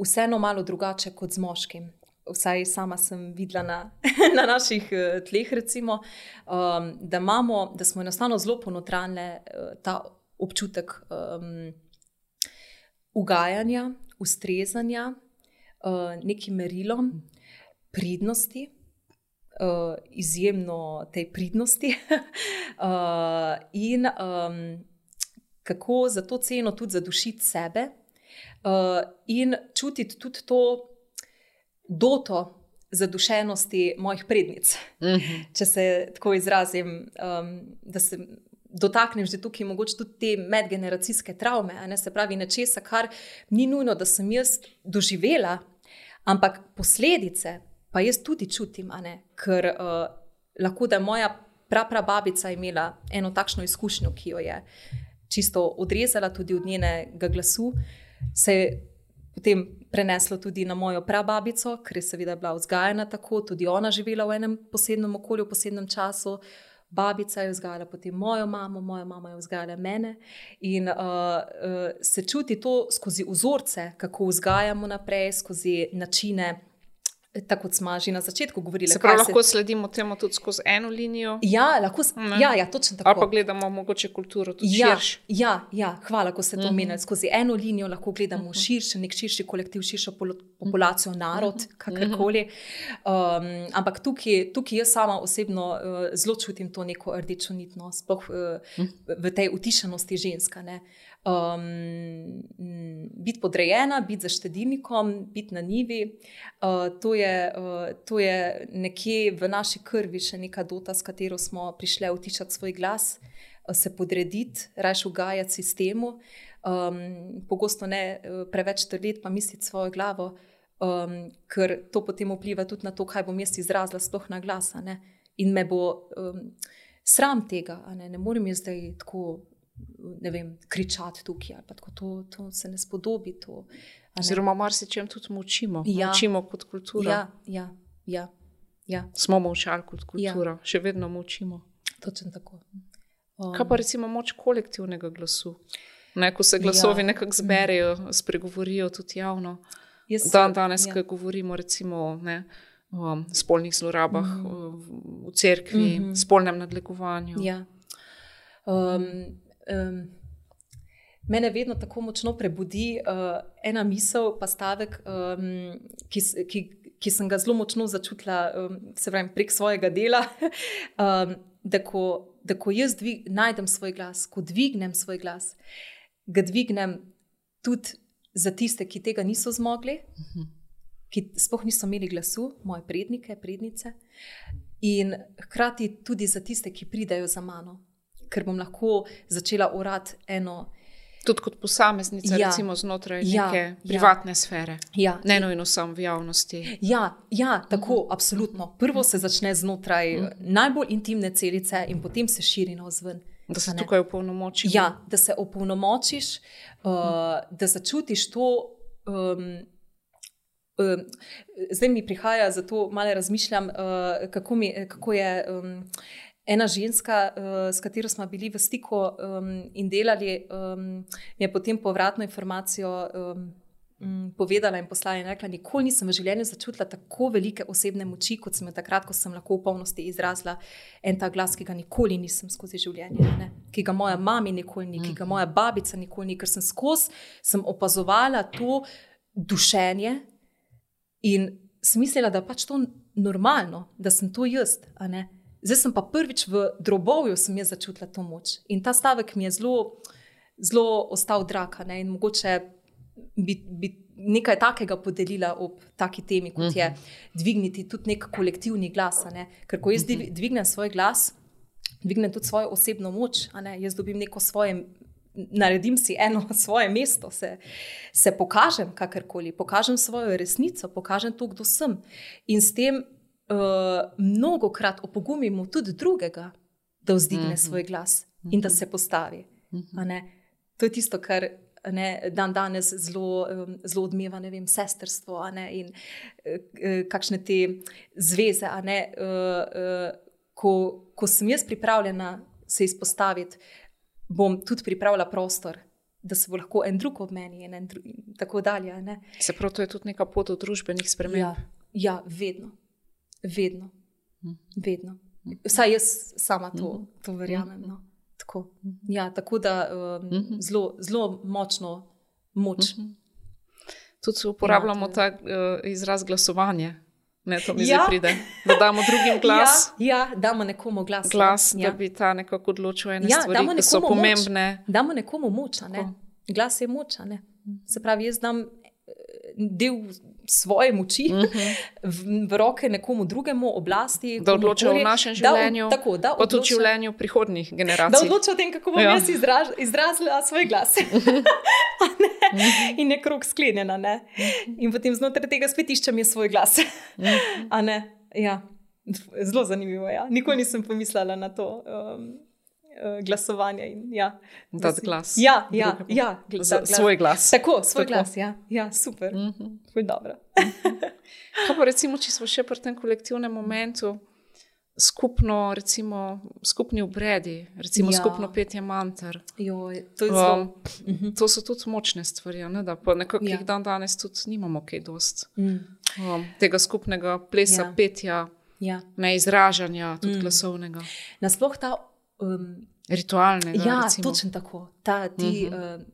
vseeno malo drugače kot z moškim. Vsaj sama sem videla na, na naših uh, tleh, recimo, um, da, imamo, da smo enostavno zelo ponotranile uh, ta občutek um, ugajanja, ustrezanja, uh, nekim merilom, pridnosti, uh, izjemno tej pridnosti uh, in um, kako za to ceno tudi zadušiti sebe uh, in čutiti tudi to doto zadušenosti mojih prednic. Mm-hmm. Če se tako izrazim, um, da se dotaknem že tukaj mogoče tudi te medgeneracijske travme, a ne, se pravi nečesa, kar ni nujno, da sem jaz doživela, ampak posledice pa jaz tudi čutim, a ne, ker uh, lahko, da je moja praprababica imela eno takšno izkušnjo, ki jo je čisto odrezala tudi od njenega glasu, se je potem preneslo tudi na mojo prababico, ker je seveda bila vzgajena tako, tudi ona živela v enem posebnem okolju, v posebnem času. Babica je vzgajala potem mojo mamo, moja mama je vzgajala mene in uh, uh, se čuti to skozi vzorce, kako vzgajamo naprej, skozi načine, tako kot smo že na začetku govorili. Se pravi, lahko se... sledimo temu tudi skozi eno linijo? Ja, lahko, ja, ja, točno tako. Ali pa gledamo mogoče kulturo tudi ja, širš? Ja, ja, hvala, ko ste to omenili. Uh-huh. Skozi eno linijo lahko gledamo uh-huh. širše, nek širši kolektiv, širšo populacijo, narod, uh-huh. kakorkoli. Um, ampak tukaj, tukaj jaz sama osebno uh, zelo čutim to neko rdečo nitno, sploh uh, uh-huh. v tej utišanosti ženska, ne. Um, biti podrejena, biti za štedilnikom, biti na njivi, uh, to, je, uh, to je nekje v naši krvi še neka dota, s katero smo prišli utišati svoj glas, uh, se podrediti, rajš ugajati sistemu, um, pogosto ne uh, preveč trveti pa misliti svojo glavo, um, ker to potem vpliva tudi na to, kaj bom jaz izrazila sploh na glas, a ne? In me bo um, sram tega, a ne, ne morem jaz zdaj tako ne vem, kričati tukaj, ali pa tako, to, to se ne spodobi. To, ne? Oziroma marsičem tudi močimo, ja. močimo kot kultura. Ja, ja, ja, ja. Smo močali kot kultura, ja. Še vedno močimo. Točno tako. Um, Kaj pa recimo moč kolektivnega glasu? Ne, ko se glasovi ja. nekako zberejo, spregovorijo tudi javno. Jaz, Dan danes, ja. ko govorimo recimo ne, o spolnih zlorabah mm. v cerkvi, mm-hmm. spolnem nadlegovanju. Ja. Um, Um, mene vedno tako močno prebudi uh, ena misel, pa stavek, um, ki, ki, ki sem ga zelo močno začutila um, se pravim, prek svojega dela, um, da, ko, da ko jaz dvig, najdem svoj glas, ko dvignem svoj glas, ga dvignem tudi za tiste, ki tega niso zmogli, uh-huh. ki sploh niso imeli glasu, moje prednike, prednice, in hkrati tudi za tiste, ki pridejo za mano, ker bom lahko začela urati eno. Tudi kot posameznica, ja, recimo znotraj ja, neke privatne ja. sfere, ja. ne nujno samo v javnosti. Ja, ja tako, uh-huh. absolutno. Prvo se začne znotraj uh-huh. najbolj intimne celice in potem se širi navzven. Da se tukaj opolnomočiš. Ja, da se opolnomočiš, uh, da začutiš to. Um, um, zdaj mi prihaja, zato malo razmišljam, uh, kako, mi, kako je um, ena ženska, uh, s katero smo bili v stiku um, in delali, um, je potem povratno informacijo um, um, povedala in poslala in rekla, nikoli nisem v življenju začutila tako velike osebne moči, kot sem jo takrat, ko sem lahko v polnosti izrazila en ta glas, ki ga nikoli nisem skozi življenje, ne? Ki ga moja mami nikoli ni, ki ga moja babica nikoli ni, ker sem skozi, sem opazovala to dušenje in sem mislila, da pač to normalno, da sem to jaz, a ne. Zdaj sem pa prvič v drobovju sem jaz začutila to moč. In ta stavek mi je zelo, zelo ostal drag, ne? In mogoče bi, bi nekaj takega podelila ob taki temi, kot je dvigniti tudi nek kolektivni glas, ne? Ker ko jaz dvignem svoj glas, dvignem tudi svojo osebno moč, a ne? Jaz dobim neko svoje, naredim si eno svoje mesto, se, se pokažem kakorkoli, pokažem svojo resnico, pokažem to, kdo sem. In s tem uh, mnogokrat opogumimo tudi drugega, da vzdigne uh-huh. svoj glas uh-huh. in da se postavi. Uh-huh. A ne? To je tisto, kar ne, dan danes zelo, um, zelo odmeva, ne vem, sestrstvo, a ne, in uh, kakšne te zveze, a ne, uh, uh, ko, ko sem jaz pripravljena se izpostaviti, bom tudi pripravila prostor, da se bo lahko en drug ob meni in, en dru- in tako dalje. Ne? Se pravi, to je tudi neka pot od družbenih sprememb. Ja, ja, vedno. Vedno. Vedno. Vsaj jaz sama to, to verjamem. No. Tako. Ja, tako da um, zelo, zelo močno moč. Tudi uporabljamo ja, ta uh, izraz glasovanje. Ne, to mi ja. zdaj pride. Da damo drugim glas. Ja, ja, damo nekomu glas. Glas, ja. da bi ta nekako odločil ene ja, stvari, ki so pomembne. Moč. Damo nekomu moč, ne? Glas je moč, ne? Se pravi, jaz dam del svoje moči uh-huh. v, v roke nekomu drugemu, oblasti. Da odloča o našem življenju, da, tako, da pa tudi o življenju prihodnjih generacij. Da odloča o tem, kako bom ja. jaz izraz, izrazila svoj glas. In je krog sklenjena, ne? In potem znotraj tega spet iščem je svoj glas. A ne? Ja. Zelo zanimivo, ja. Nikoli nisem pomislila na to um, glasovanje. In, ja. Dati glas. Ja, ja, ja. Glas. Svoj glas. Tako, svoj Tako. glas, ja. Ja, super. Uh-huh. Ful dobro. Kaj pa recimo, če smo še pri tem kolektivnem momentu, skupno, recimo, skupni obredi, recimo ja. skupno petje manter. Joj, to je zelo. Um, to so tudi močne stvari, ne? Da pa nekako ja. jih dan danes tudi nimamo kaj dost. Mm. Um, tega skupnega plesa, ja. petja, ja. ne izražanja, tudi mm. glasovnega. Nasploh ta um, ritualnega. Ja, recimo. Točno tako. Ta, ti uh-huh. uh,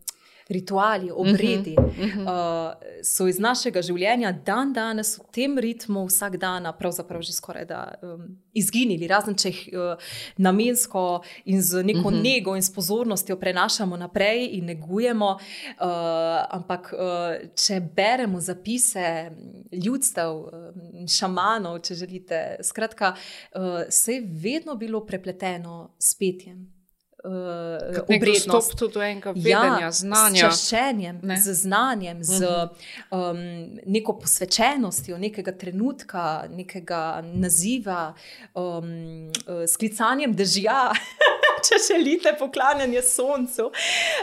rituali, obredi uh-huh. uh, so iz našega življenja dan danes v tem ritmu vsak dan pravzaprav že skoraj da um, izginili, razen če jih uh, namensko in z neko uh-huh. nego in s pozornostjo prenašamo naprej in negujemo, uh, ampak uh, če beremo zapise ljudstev, uh, šamanov, če želite, skratka, uh, se je vedno bilo prepleteno s petjem. Uh, obrednost, tudi do enega vedenja, ja, znanja. S čaščenjem, ne? z znanjem, uh-huh. z um, neko posvečenostjo nekega trenutka, nekega naziva, um, uh, s klicanjem dežja, če želite, poklanjanje soncu.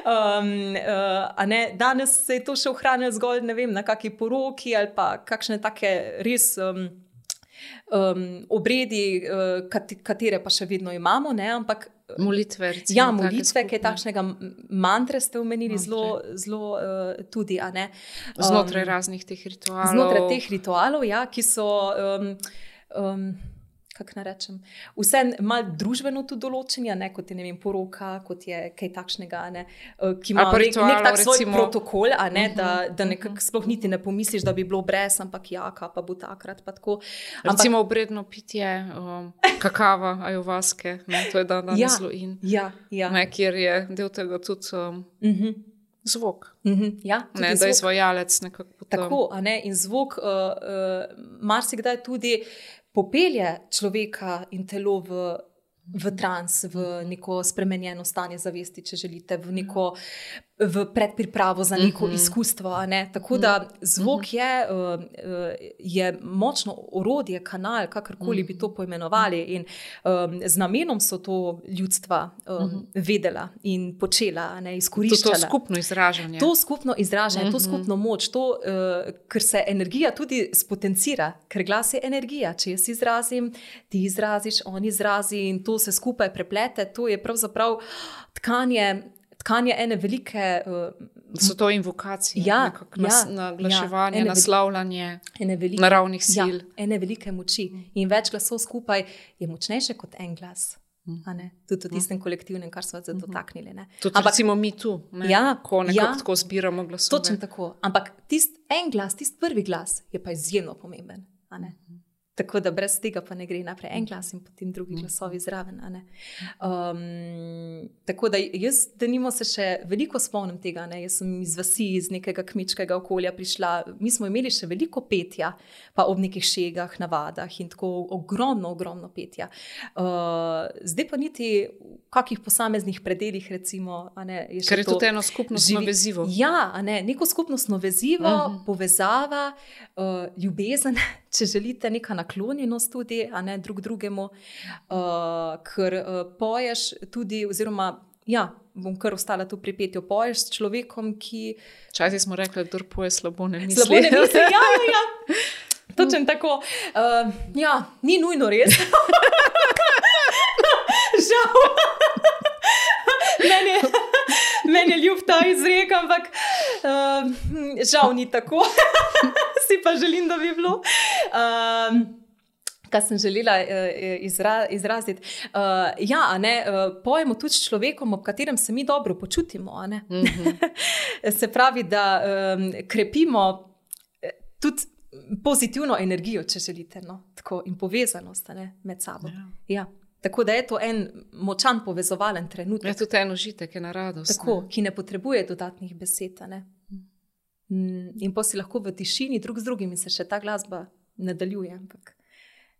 Um, uh, a ne, danes se je to še ohranjalo zgolj, ne vem, na kakšni poroki ali pa kakšne take res um, um, obredi, uh, katere pa še vedno imamo, ne, ampak molitve, recimo, ja, molitve, kaj takšnega mantre ste omenili, zelo, zelo uh, tudi, a ne. Um, znotraj raznih teh ritualov. Znotraj teh ritualov, ja, ki so, um, um, kako naj rečem, vse malo družbeno tudi določeni, ne, kot je, ne vem, poroka, kot je kaj takšnega, ne, ki ima nek, nek tak svoj recimo, protokol, a ne, uh-huh, da, da nekako uh-huh. sploh niti ne pomisliš, da bi bilo brez, ampak jaka, pa bo takrat, pa tako. Ampak, recimo obredno pitje um, kakava, ajovaske, ne, to je dan danes ja, zelo in, ja, ja. ne, kjer je del tega tudi um, uh-huh. zvok. Uh-huh, ja, ne, da je izvajalec nekako potem. Tako, a ne, in zvok uh, uh, marsikdaj tudi popelje človeka in telo v, v trans, v neko spremenjeno stanje zavesti, če želite, v neko v predpripravo za neko uh-huh. izkustvo. Ne? Tako da zvok uh-huh. je, uh, je močno orodje, kanal, kakorkoli uh-huh. bi to poimenovali. In um, z namenom so to ljudstva um, uh-huh. vedela in počela, ne, izkoriščala. To, to skupno izražanje. To skupno izražanje, uh-huh. to skupno moč, to, uh, ker se energija tudi spotencira, ker glas je energija. Če jaz izrazim, ti izraziš, on izrazi in to se skupaj preplete, to je pravzaprav tkanje tkanje ene velike... Uh, so to invokacije, ja, nas, ja, naglaševanje, ja, naslavljanje velike, naravnih sil. Ja, ene velike moči. In več glasov skupaj je močnejše kot en glas. A ne? Tudi v tistem kolektivnem, kar smo se dotaknili. Ne? Tudi Ampak, recimo mi tu, ne? Ja, ko nekako ja, tako zbiramo glasove. Točno tako. Ampak tist en glas, tist prvi glas je pa izjemno pomemben. A ne? Tako da brez tega pa ne gre naprej en glas in potem drugi glasovi zraven. A ne? Um, tako da jaz, da nimo se še veliko spomnim tega. Ne? Jaz sem iz vasi, iz nekega kmečkega okolja prišla. Mi smo imeli še veliko petja, pa ob nekih šegah, navadah in tako ogromno, ogromno petja. Uh, zdaj pa niti v kakih posameznih predeljih, recimo. A ne, je Ker je to tudi eno skupnostno živi... vezivo. Ja, a ne, neko skupnostno vezivo, uh-huh. povezava, uh, ljubezen, če želite, neka naklonjenost tudi, a ne drug drugemu, uh, ker uh, poješ tudi, oziroma, ja, bom kar ostala tu pri petju, poješ s človekom, ki... Včasih smo rekli, kdor poje slabo ne misli. Slabo ne misli, ja, ja, ja. Točen tako. Uh, ja, ni nujno res. Žal. Meni je, meni je ljub ta izrek, ampak uh, žal ni tako. Si pa želim, da bi bilo. Um, Kaj sem želela izra, izraziti. Uh, ja, ne, pojemo tudi s človekom, ob katerem se mi dobro počutimo. A ne? Mm-hmm. Se pravi, da um, krepimo tudi pozitivno energijo, če želite, no? Tako, in povezanost, a ne, med sabo. Ja. Ja. Tako da je to en močan povezovalen trenutek. Je tudi en užitek, ena radost. Tako, ne? Ki ne potrebuje dodatnih besed. Ne? Mm, in pa si lahko v tišini drug z drugim in se še ta glasba nadaljuje, ampak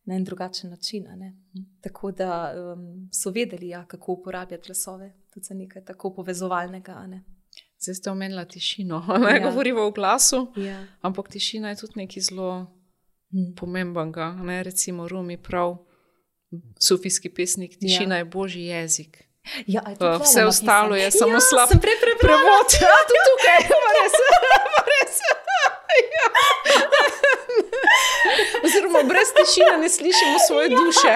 na en drugačen način. Ne? Tako da um, so vedeli, ja, kako uporabljati glasove, tudi za nekaj tako povezovalnega. Ne? Zdaj ste omenila tišino. Ne ja. Govorimo o glasu, ja. Ampak tišina je tudi nekaj zelo hmm. pomembnega. Ne? Recimo Rumi prav, sufijski pesnik, tišina ja. je božji jezik. Ja, uh, vse ostalo je samo ja, slab prevod. Ja, tudi tukaj, pa res. Pa res. Ja. Oziroma, brez tišine ne slišimo svoje ja. duše.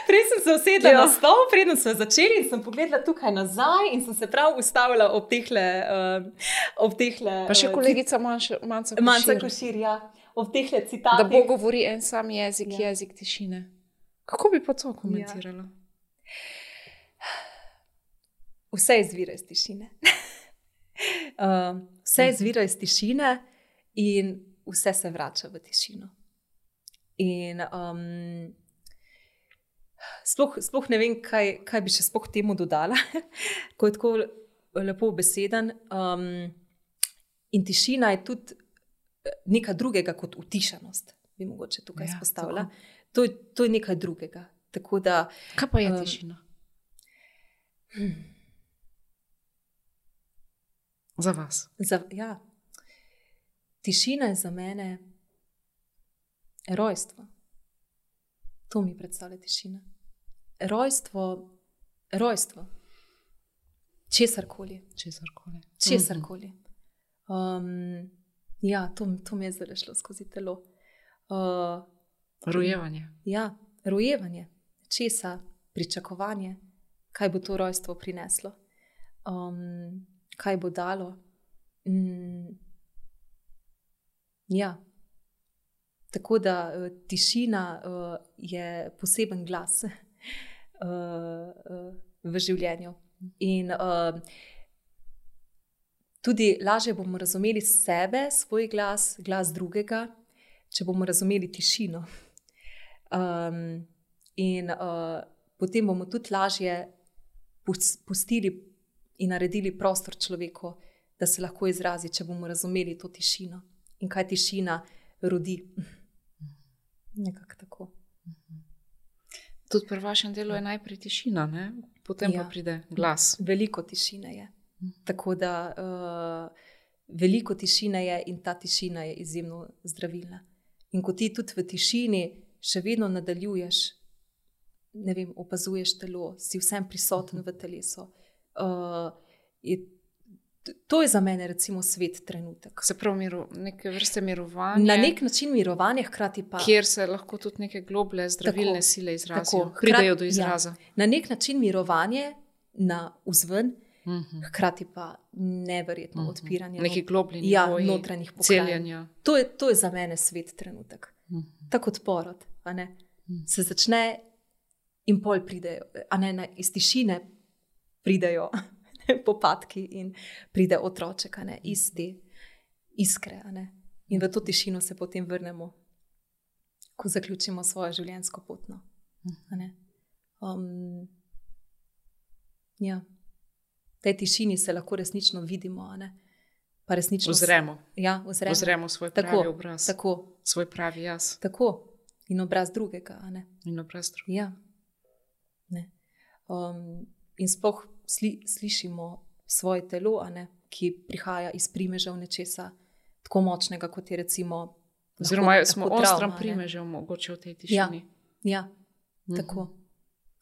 Prej sem se usedla ja. na stol, preden smo začeli in sem pogledala tukaj nazaj in sem se prav ustavila ob tehle... Uh, ob tehle pa še kolegica Manca Košir. Manca Košir, ja. Ob tehle citatih. Da Bog govori en sam jezik, ja. jezik tišine. Kako bi pa to komentirala? Ja. Vse izvira iz tišine. uh, vse izvira iz tišine in vse se vrača v tišino. In um, sploh, sploh ne vem, kaj, kaj bi še sploh temu dodala, ko je tako lepo beseden. Um, in tišina je tudi nekaj drugega kot utišanost, bi mogoče tukaj ja, izpostavila. To je, to je nekaj drugega. Tako da, kaj pa je um, tišina? Hmm. Za vas? Za, ja. Tišina je za mene rojstvo. To mi predstavlja tišina. Rojstvo, rojstvo. Česarkoli. Česarkoli. Česarkoli. Um, ja, to, to mi je zdaj šlo skozi telo. Uh, Rojevanje. Ja, rojevanje. Česa, pričakovanje, kaj bo to rojstvo prineslo. Um, kaj bo dalo. Mm, ja. Tako da uh, tišina uh, je poseben glas uh, uh, v življenju. In uh, tudi lažje bomo razumeli sebe, svoj glas, glas drugega, če bomo razumeli tišino. Um, in uh, potem bomo tudi lažje pustili in naredili prostor človeku, da se lahko izrazi, če bomo razumeli to tišino in kaj tišina rodi. Nekako tako. Tudi pri vašem delu je najprej tišina, ne? Potem ja. pa pride glas. Veliko tišine je. Tako da uh, veliko tišine je in ta tišina je izjemno zdravilna. In ko ti tudi v tišini še vedno nadaljuješ, ne vem, opazuješ telo, si vsem prisoten v telesu. Uh, je, to je za mene recimo svet trenutek. Se pravi, miru, neke vrste mirovanja. Na nek način mirovanje, hkrati pa. Kjer se lahko tudi neke globlje zdravilne tako, sile izrazijo, tako, pridejo do izraza. Ja, na nek način mirovanje na vzven, uh-huh. hkrati pa neverjetno uh-huh. odpiranje. Neki globlji nivoji, ja, notranjih celjenja. To je, to je za mene svet trenutek. Uh-huh. Tako kot porod, a ne? Uh-huh. Se začne in pol pridejo, a ne, na, iz tišine pridejo popadki in pride otroček, a ne, iz te iskre, a ne. In v to tišino se potem vrnemo, ko zaključimo svojo življenjsko pot, no. A ne. Um, ja. V tej tišini se lahko resnično vidimo, a ne. Pa resnično ozremo. Ja, ozremo. Ozremo svoj pravi tako, obraz. Tako. Svoj pravi jaz. Tako. In obraz drugega, a ne. In obraz drugega. Ja. Ne. Um, in sploh sli, slišimo svoje telo, a ne, ki prihaja iz primežev nečesa tako močnega, kot je recimo oziroma lahko, smo ostram primežev mogoče v tej tišini. Ja, ja. Uh-huh. Tako.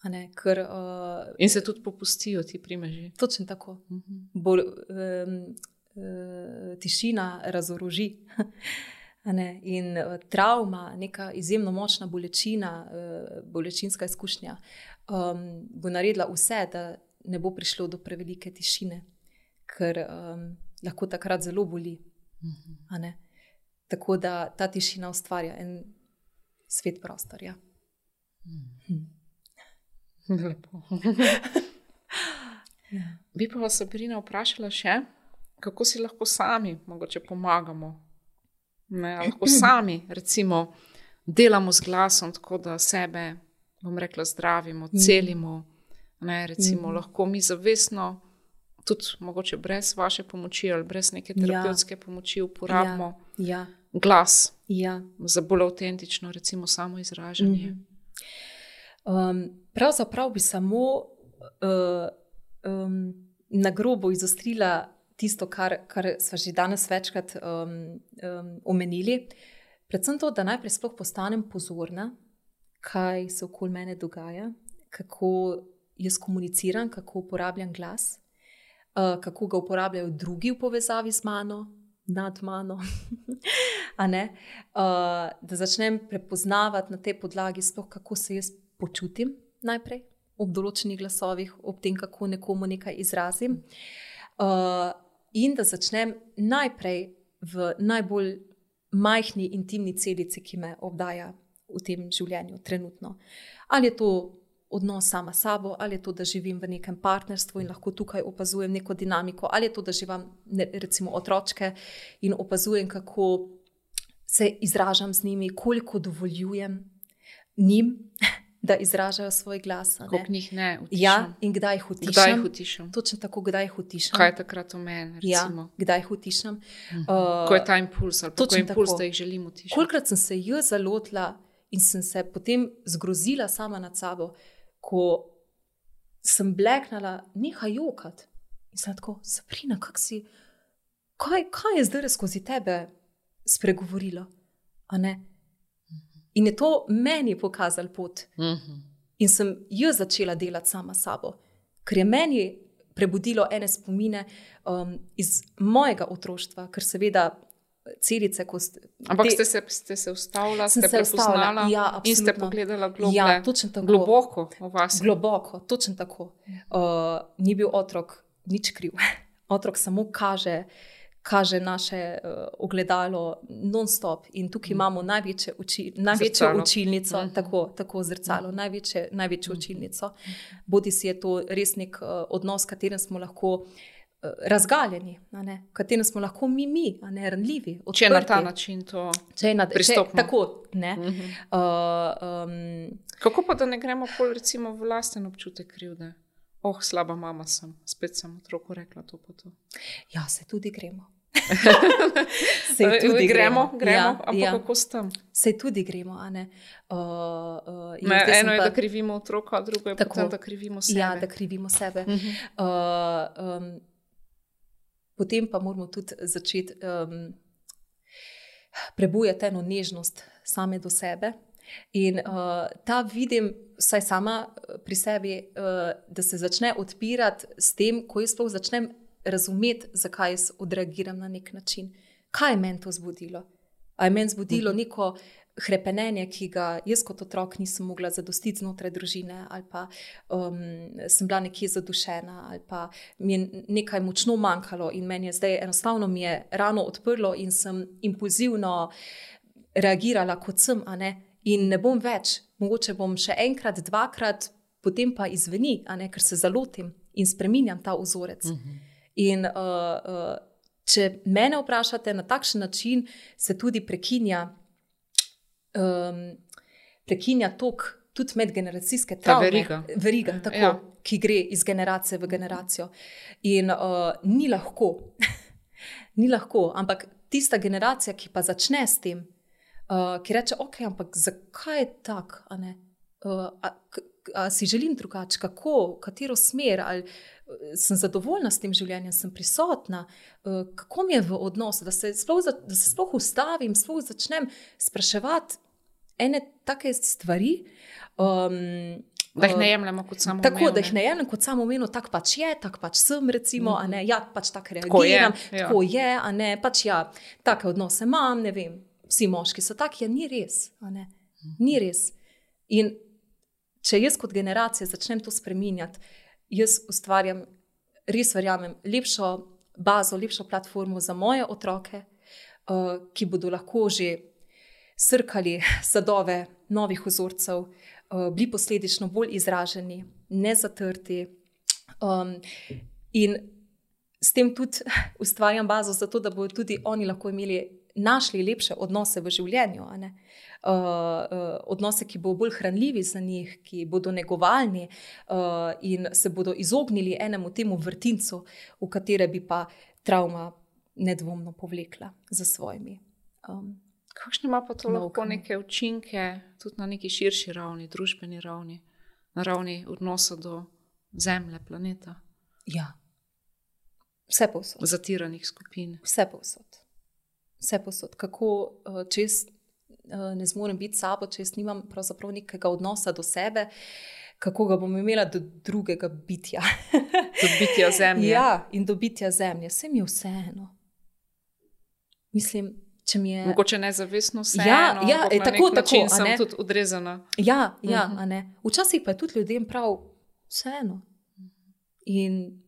A ne, ker, uh, in se tudi popustijo ti primeži. Točno tako. Uh-huh. Bolj, um, uh, tišina razoroži. A ne, in uh, travma, neka izjemno močna bolečina, uh, bolečinska izkušnja, um, bo naredila vse, da ne bo prišlo do prevelike tišine, ker um, lahko takrat zelo boli. Uh-huh. A ne. Tako da ta tišina ustvarja en svet prostorja. Hmm. Lepo. Ja. Bi pa vas, Sabrina, vprašala še, kako si lahko sami mogoče pomagamo. Ne, lahko sami, recimo, delamo z glasom, tako da sebe, bom rekla, zdravimo, celimo. Ne, recimo, mm. lahko mi zavestno, tudi mogoče brez vaše pomoči ali brez neke terapevtske ja. pomoči uporabimo ja. Ja. glas ja. za bolj avtentično, recimo, samo izražanje. Mm. Um, pravzaprav bi samo uh, um, na grobo izostrila tisto, kar, kar sva že danes večkrat um, um, omenili. Predvsem to, da najprej sploh postanem pozorna, kaj se okoli mene dogaja, kako jaz komuniciram, kako uporabljam glas, uh, kako ga uporabljajo drugi v povezavi z mano, nad mano. A ne? Uh, da začnem prepoznavati na tej podlagi sploh, kako se jaz počutim najprej ob določenih glasovih, ob tem, kako nekomu nekaj izrazim. Uh, in da začnem najprej v najbolj majhni intimni celici, ki me obdaja v tem življenju trenutno. Ali je to odnos sama sabo, ali je to, da živim v nekem partnerstvu in lahko tukaj opazujem neko dinamiko, ali je to, da živim ne, recimo otročke in opazujem, kako se izražam z njimi, koliko dovoljujem njim, da izražajo svoj glas. Koliko njih ne utišam. Ja, in kdaj jih utišam. Kdaj jih utišam. Točno tako, kdaj jih utišam. Kaj je takrat v meni, recimo. Ja, kdaj jih utišam. Uh-huh. Uh, ko je ta impuls, ali pa ko je impuls, tako, da jih želim utišati. Kolikrat sem se jaz zalotila in sem se potem zgrozila sama nad sabo, ko sem bleknala, nehaj jokati. In sem tako, Sabrina, kak si, kaj, kaj je zdaj skozi tebe spregovorilo? A ne? In je to meni pokazal pot. Uh-huh. In sem jaz začela delati sama sabo. Ker je meni prebudilo ene spomine um, iz mojega otroštva, ker seveda celice, ko ste... Ampak te, ste, se, ste se ustavila, ste se prepoznala ja, in ste pogledala globlje, ja, tako, globoko v vas. Globoko, točno tako. Uh, ni bil otrok nič kriv. Otrok samo kaže, kaže naše uh, ogledalo non-stop in tukaj mm. imamo največje uči, največjo zrcalo. učilnico, mm. tako, tako zrcalo, mm. največje, največjo mm. učilnico. Bodi si je to res nek uh, odnos, v katerem smo lahko razgaljeni, v katerem smo lahko mi, mi a ne ranljivi, odprti. Če je na ta način to pristopno. Tako, ne. Mm-hmm. Uh, um, Kako pa, da ne gremo pol recimo v lasten občutek krivde? Oh, slaba mama sem, spet sem otroku rekla to pa to. Ja, se tudi gremo. Sej tudi gremo, gremo, gremo ja, ampak ja. kako s tem? Sej tudi gremo, a ne. Uh, uh, in Ne, zdaj sem eno je, pa- da krivimo otroka, drugo je Tako. potem, da krivimo sebe. Ja, da krivimo sebe. Mhm. Uh, um, potem pa moramo tudi začeti um, prebujati eno nežnost same do sebe. In uh, ta vidim, vsaj sama pri sebi, uh, da se začne odpirati s tem, ko jaz sploh začnem razumeti, zakaj jaz odreagiram na nek način. Kaj je meni to zbudilo? A je meni zbudilo neko hrepenenje, ki ga jaz kot otrok nisem mogla zadostiti znotraj družine, ali pa um, sem bila nekje zadušena, ali pa mi je nekaj močno manjkalo in meni je zdaj enostavno mi je rano odprlo in sem impulzivno reagirala kot sem, a ne, in ne bom več, mogoče bom še enkrat, dvakrat, potem pa izveni, a ne, ker se zalotim in spreminjam ta vzorec. Uh-huh. In uh, uh, če mene vprašate, na takšen način se tudi prekinja Um, prekinja tok tudi medgeneracijske travme. veriga. Veriga, tako, Ja. ki gre iz generacije v generacijo. In uh, ni lahko, ni lahko, ampak tista generacija, ki pa začne s tem, uh, ki reče, ok, ampak zakaj je tak, a ne? Uh, a, k- a si želim drugače, kako, katero smer, ali uh, sem zadovoljna s tem življenjem, sem prisotna, uh, kako mi je v odnosu, da se sploh, za- da se sploh ustavim, sploh začnem spraševati ene take stvari. Um, Da jih ne uh, jemljemo kot samo Tako, da jih ne jemljem kot samoumevno, tako pač je, tako pač sem, recimo, mm -hmm. a ne, ja, pač tako Tako je, reagiram, ja. tako je, a ne, pač ja, take odnose imam, ne vem, vsi moški so taki, ja, ni res, a ne, ni res. In če jaz kot generacija začnem to spreminjati, jaz ustvarjam, res verjamem, lepšo bazo, lepšo platformo za moje otroke, uh, ki bodo lahko že srkali sadove novih vzorcev, uh, bili posledično bolj izraženi, ne zatrti. Um, in s tem tudi ustvarjam bazo za to, da bodo tudi oni lahko imeli, našli lepše odnose v življenju, a ne? Uh, uh, odnose, ki bodo bolj hranljivi za njih, ki bodo negovalni uh, in se bodo izognili enemu temu vrtincu, v katere bi pa travma nedvomno povlekla za svojimi. Um, Kakšne ima pa to lahko Naukami. neke učinke tudi na neki širši ravni, družbeni ravni, na ravni odnosa do Zemlje, planeta, ja, vse povsod. zatiranih skupin? Vse povsod. Vse povsod. Kako, uh, če jaz uh, ne zmorem biti s sabo, če jaz nimam pravzaprav nekega odnosa do sebe, kako ga bom imela do drugega bitja. Do bitja Zemlje. Ja, in do bitja zemlje. Vse mi je vseeno. Mislim, če mi je... Mogoče nezavestno vseeno, Ja, ja, ampak e, na tako, nek način tako, a sem ne? tudi odrezana. Ja, ja, Mhm. a ne. Včasih pa je tudi ljudem prav vseeno. In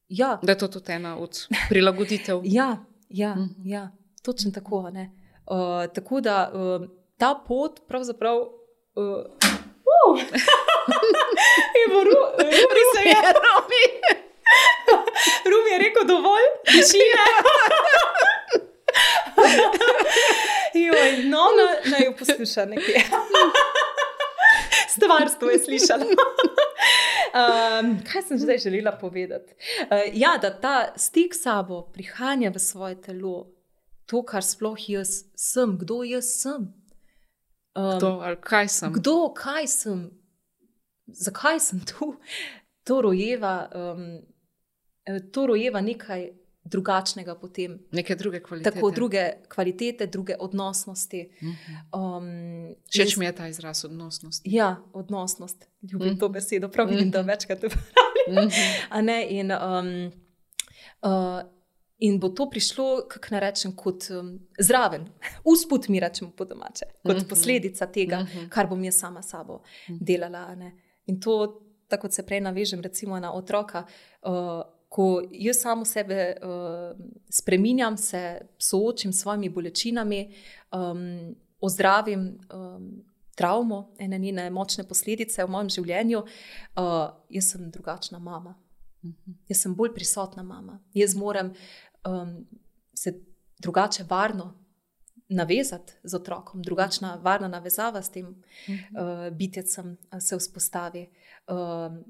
ja, Da je to tudi ena od prilagoditev. ja, ja, Mhm. ja, točno tako, a ne. Uh, tako da uh, ta pot pravzaprav... Uh, uh, Evo, Ru, Rumi se je... Romi. Rumi je rekel dovolj, tišine. Joj, no, na, naj jo posluša nekje. Stvarstvo je slišala. Um, kaj sem zdaj želela povedati? Uh, ja, da ta stik s sabo prihanja v svoje telo, to, kar sploh jaz sem, kdo jaz sem. Um, To, ali kaj sem? Kdo, kaj sem, zakaj sem tu, to rojeva, um, to rojeva nekaj drugačnega potem. Neke druge kvalitete. Tako druge kvalitete, druge odnosnosti. Mhm. Um, Všeč jaz- mi je ta izraz odnosnost. Ja, odnosnost. Ljubim Mhm. to besedo, prav vidim, da Mhm. večkrat uporabljam. Mhm. A ne, in, um, uh, in bo to prišlo, kako naj rečem, kot um, zraven, usput mi rečemo po domače, kot Mhm. posledica tega, Mhm. kar bom jaz sama s sabo delala. A ne. In to, tako kot se prej navežem, recimo na otroka, uh, ko jaz samo sebe uh, spreminjam, se soočim s svojimi bolečinami, um, ozdravim um, travmo, ene njene močne posledice v mojem življenju, uh, jaz sem drugačna mama. Jaz sem bolj prisotna mama. Jaz moram um, se drugače varno navezati z otrokom, drugačna varna navezava s tem uh, bitjecem se vzpostavi, uh,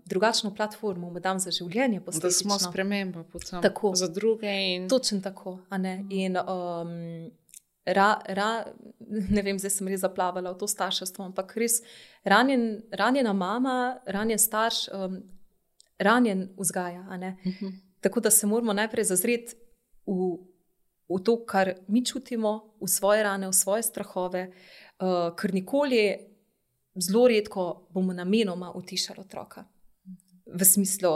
drugačno platformo mu dam za življenje posledično. Da smo sprememba potem tako, za druge. In... Točno tako. A ne? In um, ra, ra, ne vem, zdaj sem res zaplavala v to starševstvo, ampak res ranjen, ranjena mama, ranjen starš, um, ranjen vzgaja. A ne? Uh-huh. Tako da se moramo najprej zazreti v v to, kar mi čutimo, v svoje rane, v svoje strahove, uh, ker nikoli, zelo redko bomo namenoma utišali otroka. V smislu,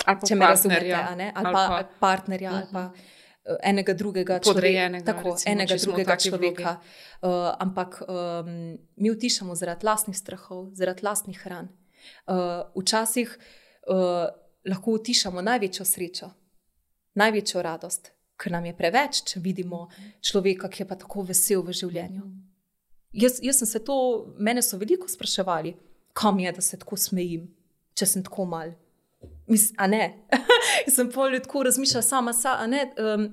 ali če me razumete, ali, ali pa ali partnerja, uh-huh. ali pa uh, enega drugega podrejenega, človeka. Tako, recimo, enega drugega človeka. Uh, ampak um, mi utišamo zaradi lastnih strahov, zaradi lastnih ran. Uh, včasih uh, lahko utišamo največjo srečo, največjo radost, ker nam je preveč, če vidimo človeka, ki je pa tako vesel v življenju. Jaz, jaz sem se to, mene so veliko spraševali, kam je, da se tako smejim, če sem tako mal. Mis, a ne? Jaz sem pol tako razmišljala sama, sa, a ne? Um,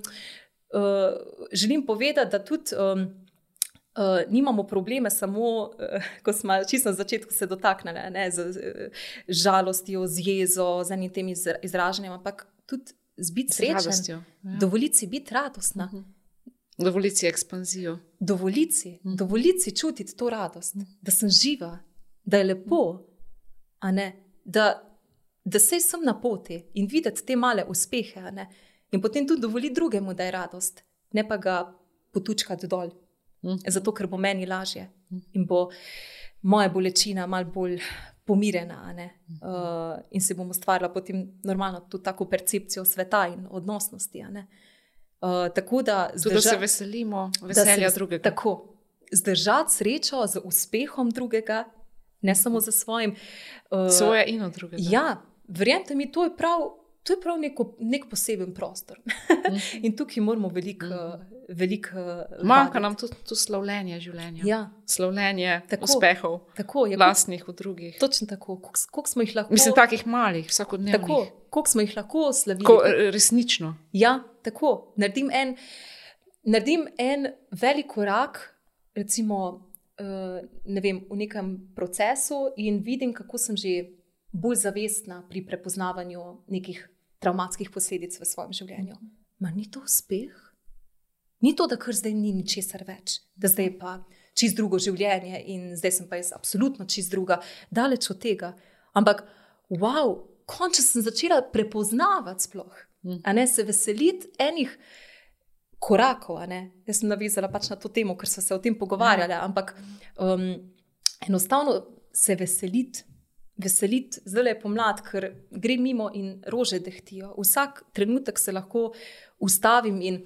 uh, želim povedati, da tudi um, uh, nimamo probleme samo, uh, ko smo čisto na začetku se dotaknili, ne? Z uh, žalostjo, z jezo, z enim tem izraženjem, ampak tudi z biti srečen, ja. Dovoliti si biti radostna. Uh-huh. Dovoliti si ekspanzijo. Dovoliti si, uh-huh. dovoliti si čutiti to radost, uh-huh. da sem živa, da je lepo, a ne, da, da sej sem na poti in videti te male uspehe, a ne, in potem tudi dovoliti drugemu, da je radost, ne pa ga potučkati dol, uh-huh. zato, ker bo meni lažje uh-huh. in bo moja bolečina malo bolj pomirjena, a ne, uh, in se bomo stvarila potem normalno tudi tako percepcijo sveta in odnosnosti, a ne. Uh, tako da, zdrža, tudi da se veselimo veselja se, drugega. Tako, zdržati srečo z uspehom drugega, ne samo za svojim. Uh, Svoje in od drugega. Ja, verjemite mi, to je prav, to je prav neko, nek poseben prostor. Mm. In tukaj moramo veliko mm. velik, uh, manjka nam tudi to slavljenje življenja. Ja. Slavljenje tako, uspehov, tako, je, lastnih v drugih. Točno tako, koliko smo jih lahko... Mislim, takih malih, vsakodnevnih. Tako, koliko smo jih lahko slavili. Ko, resnično. Ja, tako. Naredim en, naredim en velik korak, recimo, uh, ne vem, v nekem procesu in vidim, kako sem že bolj zavestna pri prepoznavanju nekih travmatskih posledic v svojem življenju. Ma ni to uspeh? Ni to, da kar zdaj ni ničesar več, da zdaj pa čist drugo življenje in zdaj sem pa jaz absolutno čist druga, daleč od tega. Ampak, wow, končno sem začela prepoznavati sploh, a ne, se veseliti enih korakov, a ne. Jaz sem navezala pač na to temo, ker so se o tem pogovarjali, ampak um, enostavno se veseliti, veseliti, zdaj je pomlad, ker gre mimo in rože dehtijo. Vsak trenutek se lahko ustavim in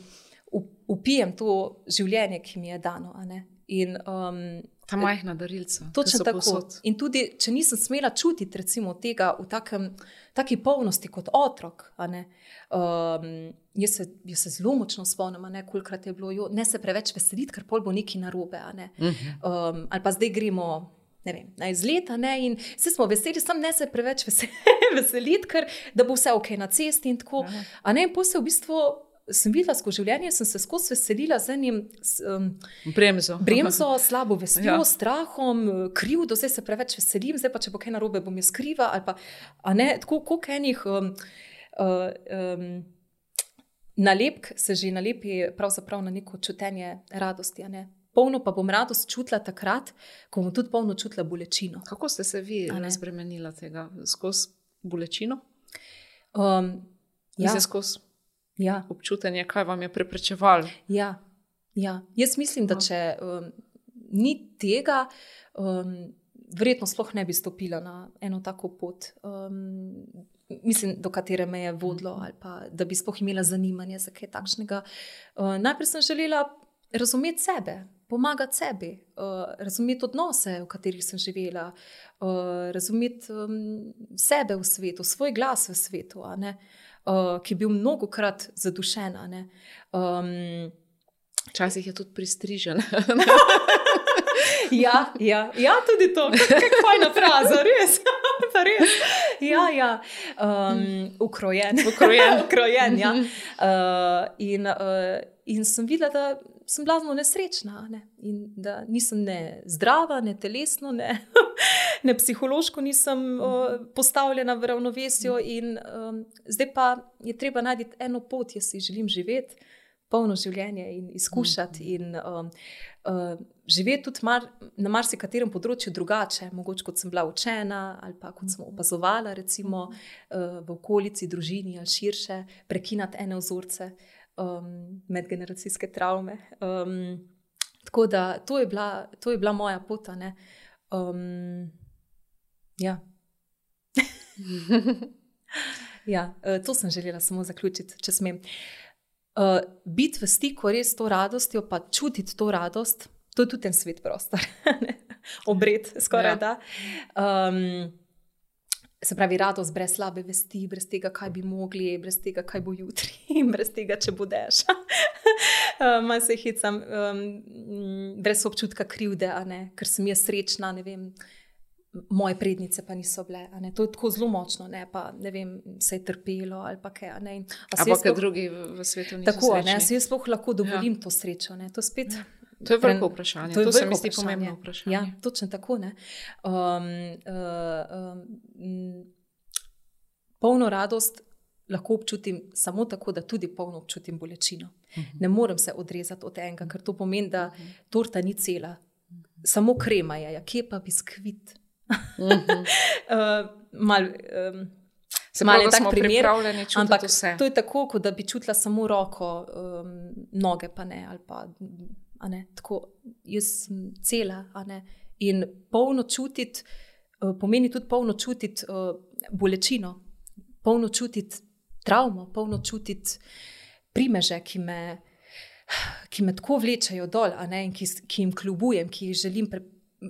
upijem to življenje, ki mi je dano. A ne? In, um, ta majhna darilca. Točno tako. Posod. In tudi, če nisem smela čutiti recimo tega v takem, taki polnosti kot otrok, a ne, um, jaz, se, jaz se zelo močno spomnim, a ne, kolikrat je bilo, jo, ne se preveč veseliti, ker pol bo nekaj narobe, a ne. Uh-huh. um, ali pa zdaj gremo, ne vem, na izlet, a ne, in vsi smo veseli, sam ne se preveč veseliti, ker da bo vse ok na cesti in tako, uh-huh. a ne, in potem se v bistvu sem videla skozi življenje, sem se skozi veselila z enim um, bremzo. bremzo, slabo vestjo, ja. strahom, krivdo, zdaj se preveč veselim, zdaj pa če bo kaj narobe, bom jaz kriva, ali pa, a ne, tako koliko enih um, uh, um, nalepk se že nalepi pravzaprav na neko čutenje radosti, a ne. Polno pa bom radost čutila takrat, ko bom tudi polno čutila bolečino. Kako ste se vi razbremenila tega? Skozi bolečino? Um, ja. Mislim, skozi Ja. občutenje, kaj vam je preprečevalo. Ja, ja. Jaz mislim, da če um, ni tega, um, verjetno sploh ne bi stopila na eno tako pot, um, mislim, do katere me je vodilo, ali pa da bi sploh imela zanimanje za kaj takšnega. Uh, najprej sem želela razumeti sebe, pomagati sebi, uh, razumeti odnose, v katerih sem živela, uh, razumeti um, sebe v svetu, svoj glas v svetu, a ne. Uh, ki je bil mnogokrat zadušena. Um, Včasih je tudi pristrižen. ja, ja, ja, tudi to. Kako fajna fraza, res. Pa res. Ja, ja. Um, ukrojen. Ukrojen. Ukrojen, ja. Uh, in, uh, in sem videla, da sem blazno nesrečna, ne? In da nisem ne zdrava, ne telesno, ne, ne psihološko nisem uh, postavljena v ravnovesju. In um, zdaj pa je treba najti eno pot, jaz si želim živeti polno življenje in izkušati in um, uh, živeti tudi mar, na marsikaterem področju drugače, mogoče kot sem bila učena ali pa kot sem opazovala recimo uh, v okolici, družini ali širše, prekinati ene vzorce. Um, medgeneracijske travme. Um, tako da to je bila, to je bila moja pot. Um, ja. ja, to sem želela samo zaključiti, če smem. Uh, biti v stiku res s to radostjo, pa čutiti to radost, to je tudi en svet prostor. Obred, skoraj ja. da. Um, Se pravi, radost brez slabe vesti, brez tega, kaj bi mogli, brez tega, kaj bo jutri, brez tega, če budeš. Malo se hecam, um, brez občutka krivde, a ne? Ker sem jaz srečna, ne vem, moje prednice pa niso bile. A ne? To je tako zelo močno, ne? Pa ne vem, se je trpelo ali pa kaj. A ne? Ampak sploh, drugi v svetu niso tako, srečni. Tako, jaz sploh lahko dovolim ja. to srečo. Ne? To spet... Ja. To je veliko vprašanje, to, je to se mi zdi pomembno vprašanje. Ja, točno tako. Ne? Um, uh, um, polno radost lahko občutim samo tako, da tudi polno občutim bolečino. Uh-huh. Ne morem se odrezati od enega, ker to pomeni, da torta ni cela. Uh-huh. Samo krema je, ja, kje pa biskvit? Uh-huh. uh, mal, um, Se pravi, da smo primer, pripravljeni čutiti ampak vse. To je tako, kot da bi čutila samo roko, um, noge pa ne, ali pa... A ne, tako, jaz sem cela, a ne, in polno čutiti, uh, pomeni tudi polno čutiti uh, bolečino, polno čutiti travmo, polno čutiti primeže, ki me, ki me tako vlečajo dol, a ne, in ki, ki jim kljubujem, ki jih želim pre,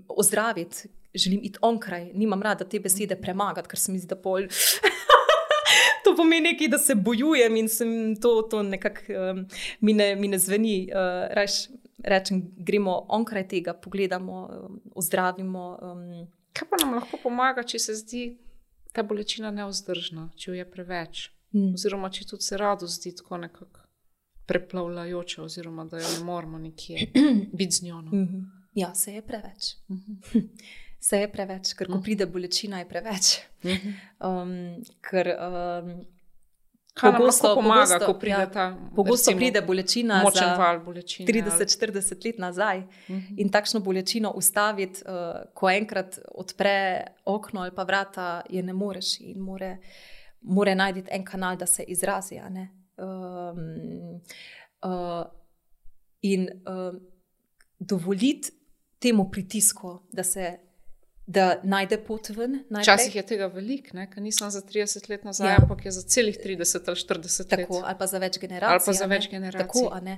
ozdraviti, želim iti onkraj, nimam rada te besede premagati, ker se mi zdi, da pol... To pomeni nekaj, da se bojujem in sem to, to nekako um, mi, ne, mi ne zveni. Uh, reš, rečem, gremo onkraj tega, pogledamo, um, ozdravimo. Um. Kaj pa nam lahko pomaga, če se zdi ta bolečina nevzdržna, če jo je preveč? Mm. Oziroma, če tudi se radost zdi tako nekako preplavljajoča, oziroma da jo ne moramo nikje biti z njo. No? Mm-hmm. Ja, se je preveč. Mm-hmm. Se je preveč, ker ko pride bolečina, je preveč. Um, ker um, pogosto pomaga, ko pride ja, ta pogosto pride bolečina močen za val bolečine, trideset štirideset let nazaj. Uh-huh. In takšno bolečino ustaviti, uh, ko enkrat odpre okno ali pa vrata, je ne moreš in more, more najti en kanal, da se izrazi. A ne? Um, uh, in uh, dovoliti temu pritisku, da se da najde pot ven. Včasih je tega veliko, ker nisem za trideset let nazaj, ja. ampak je za celih trideset ali štirideset Tako, let. Ali pa za več generacij. Ali pa za več generacij. Tako, a ne.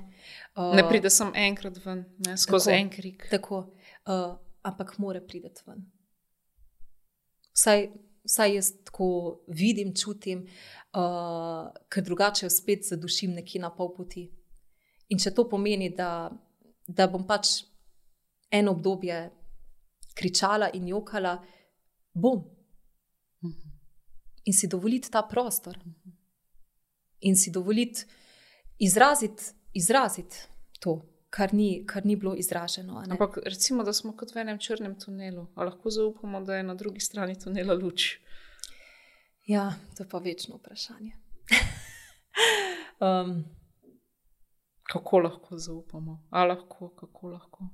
Uh, ne pride sem enkrat ven, ne, skozi en krik. Tako, uh, ampak mora prideti ven. Vsaj, vsaj jaz tako vidim, čutim, uh, ker drugače spet zadušim nekje na pol poti. In če to pomeni, da, da bom pač eno obdobje kričala in jokala, bom. In si dovoliti ta prostor. In si dovoliti izraziti, izraziti to, kar ni, kar ni bilo izraženo. Ampak recimo, da smo kot v enem črnem tunelu. A lahko zaupamo, da je na drugi strani tunela luč? Ja, to je pa večno vprašanje. um, kako lahko zaupamo? A lahko, kako lahko?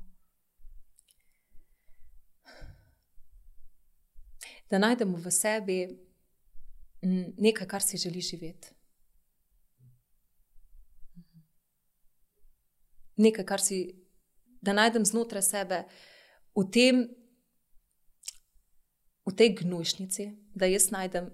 Da najdemo v sebi nekaj, kar si želi živeti. Nekaj, kar si, da najdem znotraj sebe v tem, v tej gnojšnici, da jaz najdem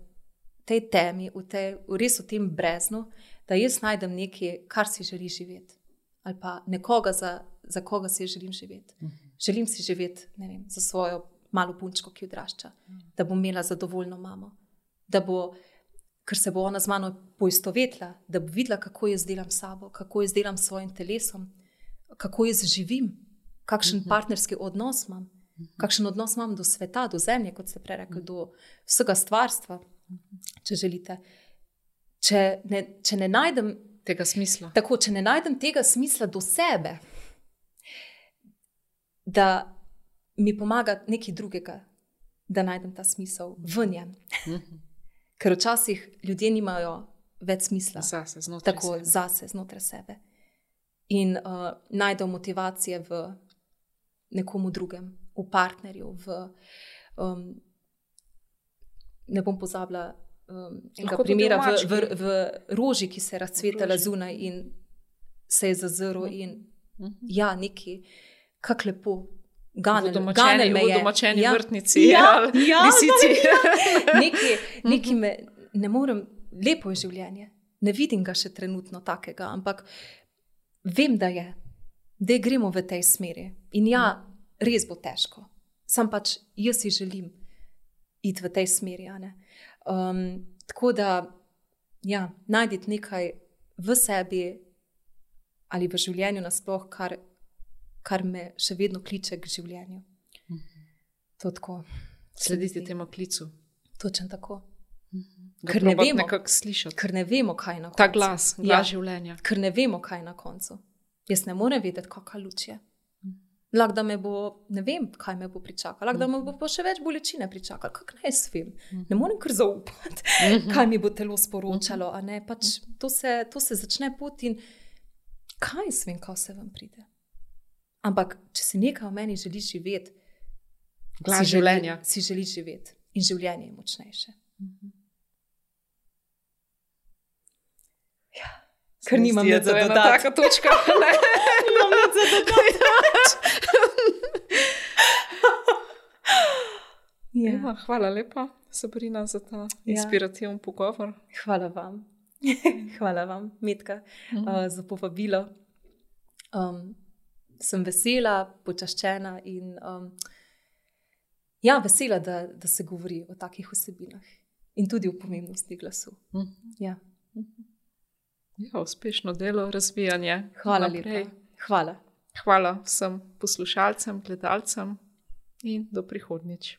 tej temi, v tej, res v tem breznu, da jaz najdem nekaj, kar si želi živeti. Ali pa nekoga, za, za koga si želim živeti. Želim si živeti, ne vem, za svojo malo punčko, ki odrašča, da bo imela zadovoljno mamo, da bo, ker se bo ona z mano poistovetila, da bo videla, kako jaz delam sabo, kako jaz delam s svojim telesom, kako jaz živim, kakšen uh-huh. partnerski odnos imam. kakšen odnos imam do sveta, do zemlje, kot ste prej rekli, do vsega stvarstva, če želite. Če ne, če ne najdem tega smisla. Tako, če ne najdem tega smisla do sebe, da mi pomaga nekaj drugega, da najdem ta smisel v njem. Ker včasih ljudje nimajo več smisla. Zase, znotraj tako, sebe. Zase, znotraj sebe. In uh, najdejo motivacije v nekomu drugem, v partnerju, v, um, ne bom pozabila um, enega primera, v, v, v roži, ki se je razcvetala zunaj in se je zazrl in uh-huh. ja, neki, kak lepo, ganel, ganel me je. V domačeni ja. vrtnici, ja, ali ja, lisici. Ja. Neki, neki me, ne morem, lepo je življenje, ne vidim ga še trenutno takega, ampak vem, da je, da gremo v tej smeri. In ja, res bo težko. Sam pač jaz si želim iti v tej smeri. Um, tako da, ja, najditi nekaj v sebi ali v življenju nasploh, kar, kar me še vedno kliče k življenju. To tako. Slediti temu klicu. Točno tako. Ker ne, vemo, ker ne vemo, kaj je na koncu. Ta glas, glas ja, življenja. Ker ne vemo, kaj je na koncu. Jaz ne morem vedeti, kakšna luč je. Lahko da me bo, ne vem, kaj me bo pričakalo. Lahko da me bo pa še več bolečine pričakalo. Kako naj jaz vem? Ne morem kar zaupati, kaj mi bo telo sporočalo. A ne? Pač to, se, to se začne pot in kaj jaz vem, kaj se vam pride. Ampak, če si nekaj v meni želi živeti, glas si življenja. Želi, si želi živeti in življenje je močnejše. Ja, ker nimam nič za dodati. Taka točka. Nimam nič za dodati. ja. Hvala lepa, Sabrina, za ta inspirativen ja. pogovor. Hvala vam. Hvala vam, Metka, mm. uh, za povabilo. Um, sem vesela, počaščena in um, ja, vesela, da, da se govori o takih vsebinah in tudi o pomembnosti glasu. Mm. Ja. Ja, uspešno delo, razvijanje. Hvala lepa. Hvala. Hvala vsem poslušalcem, gledalcem in do prihodnjič.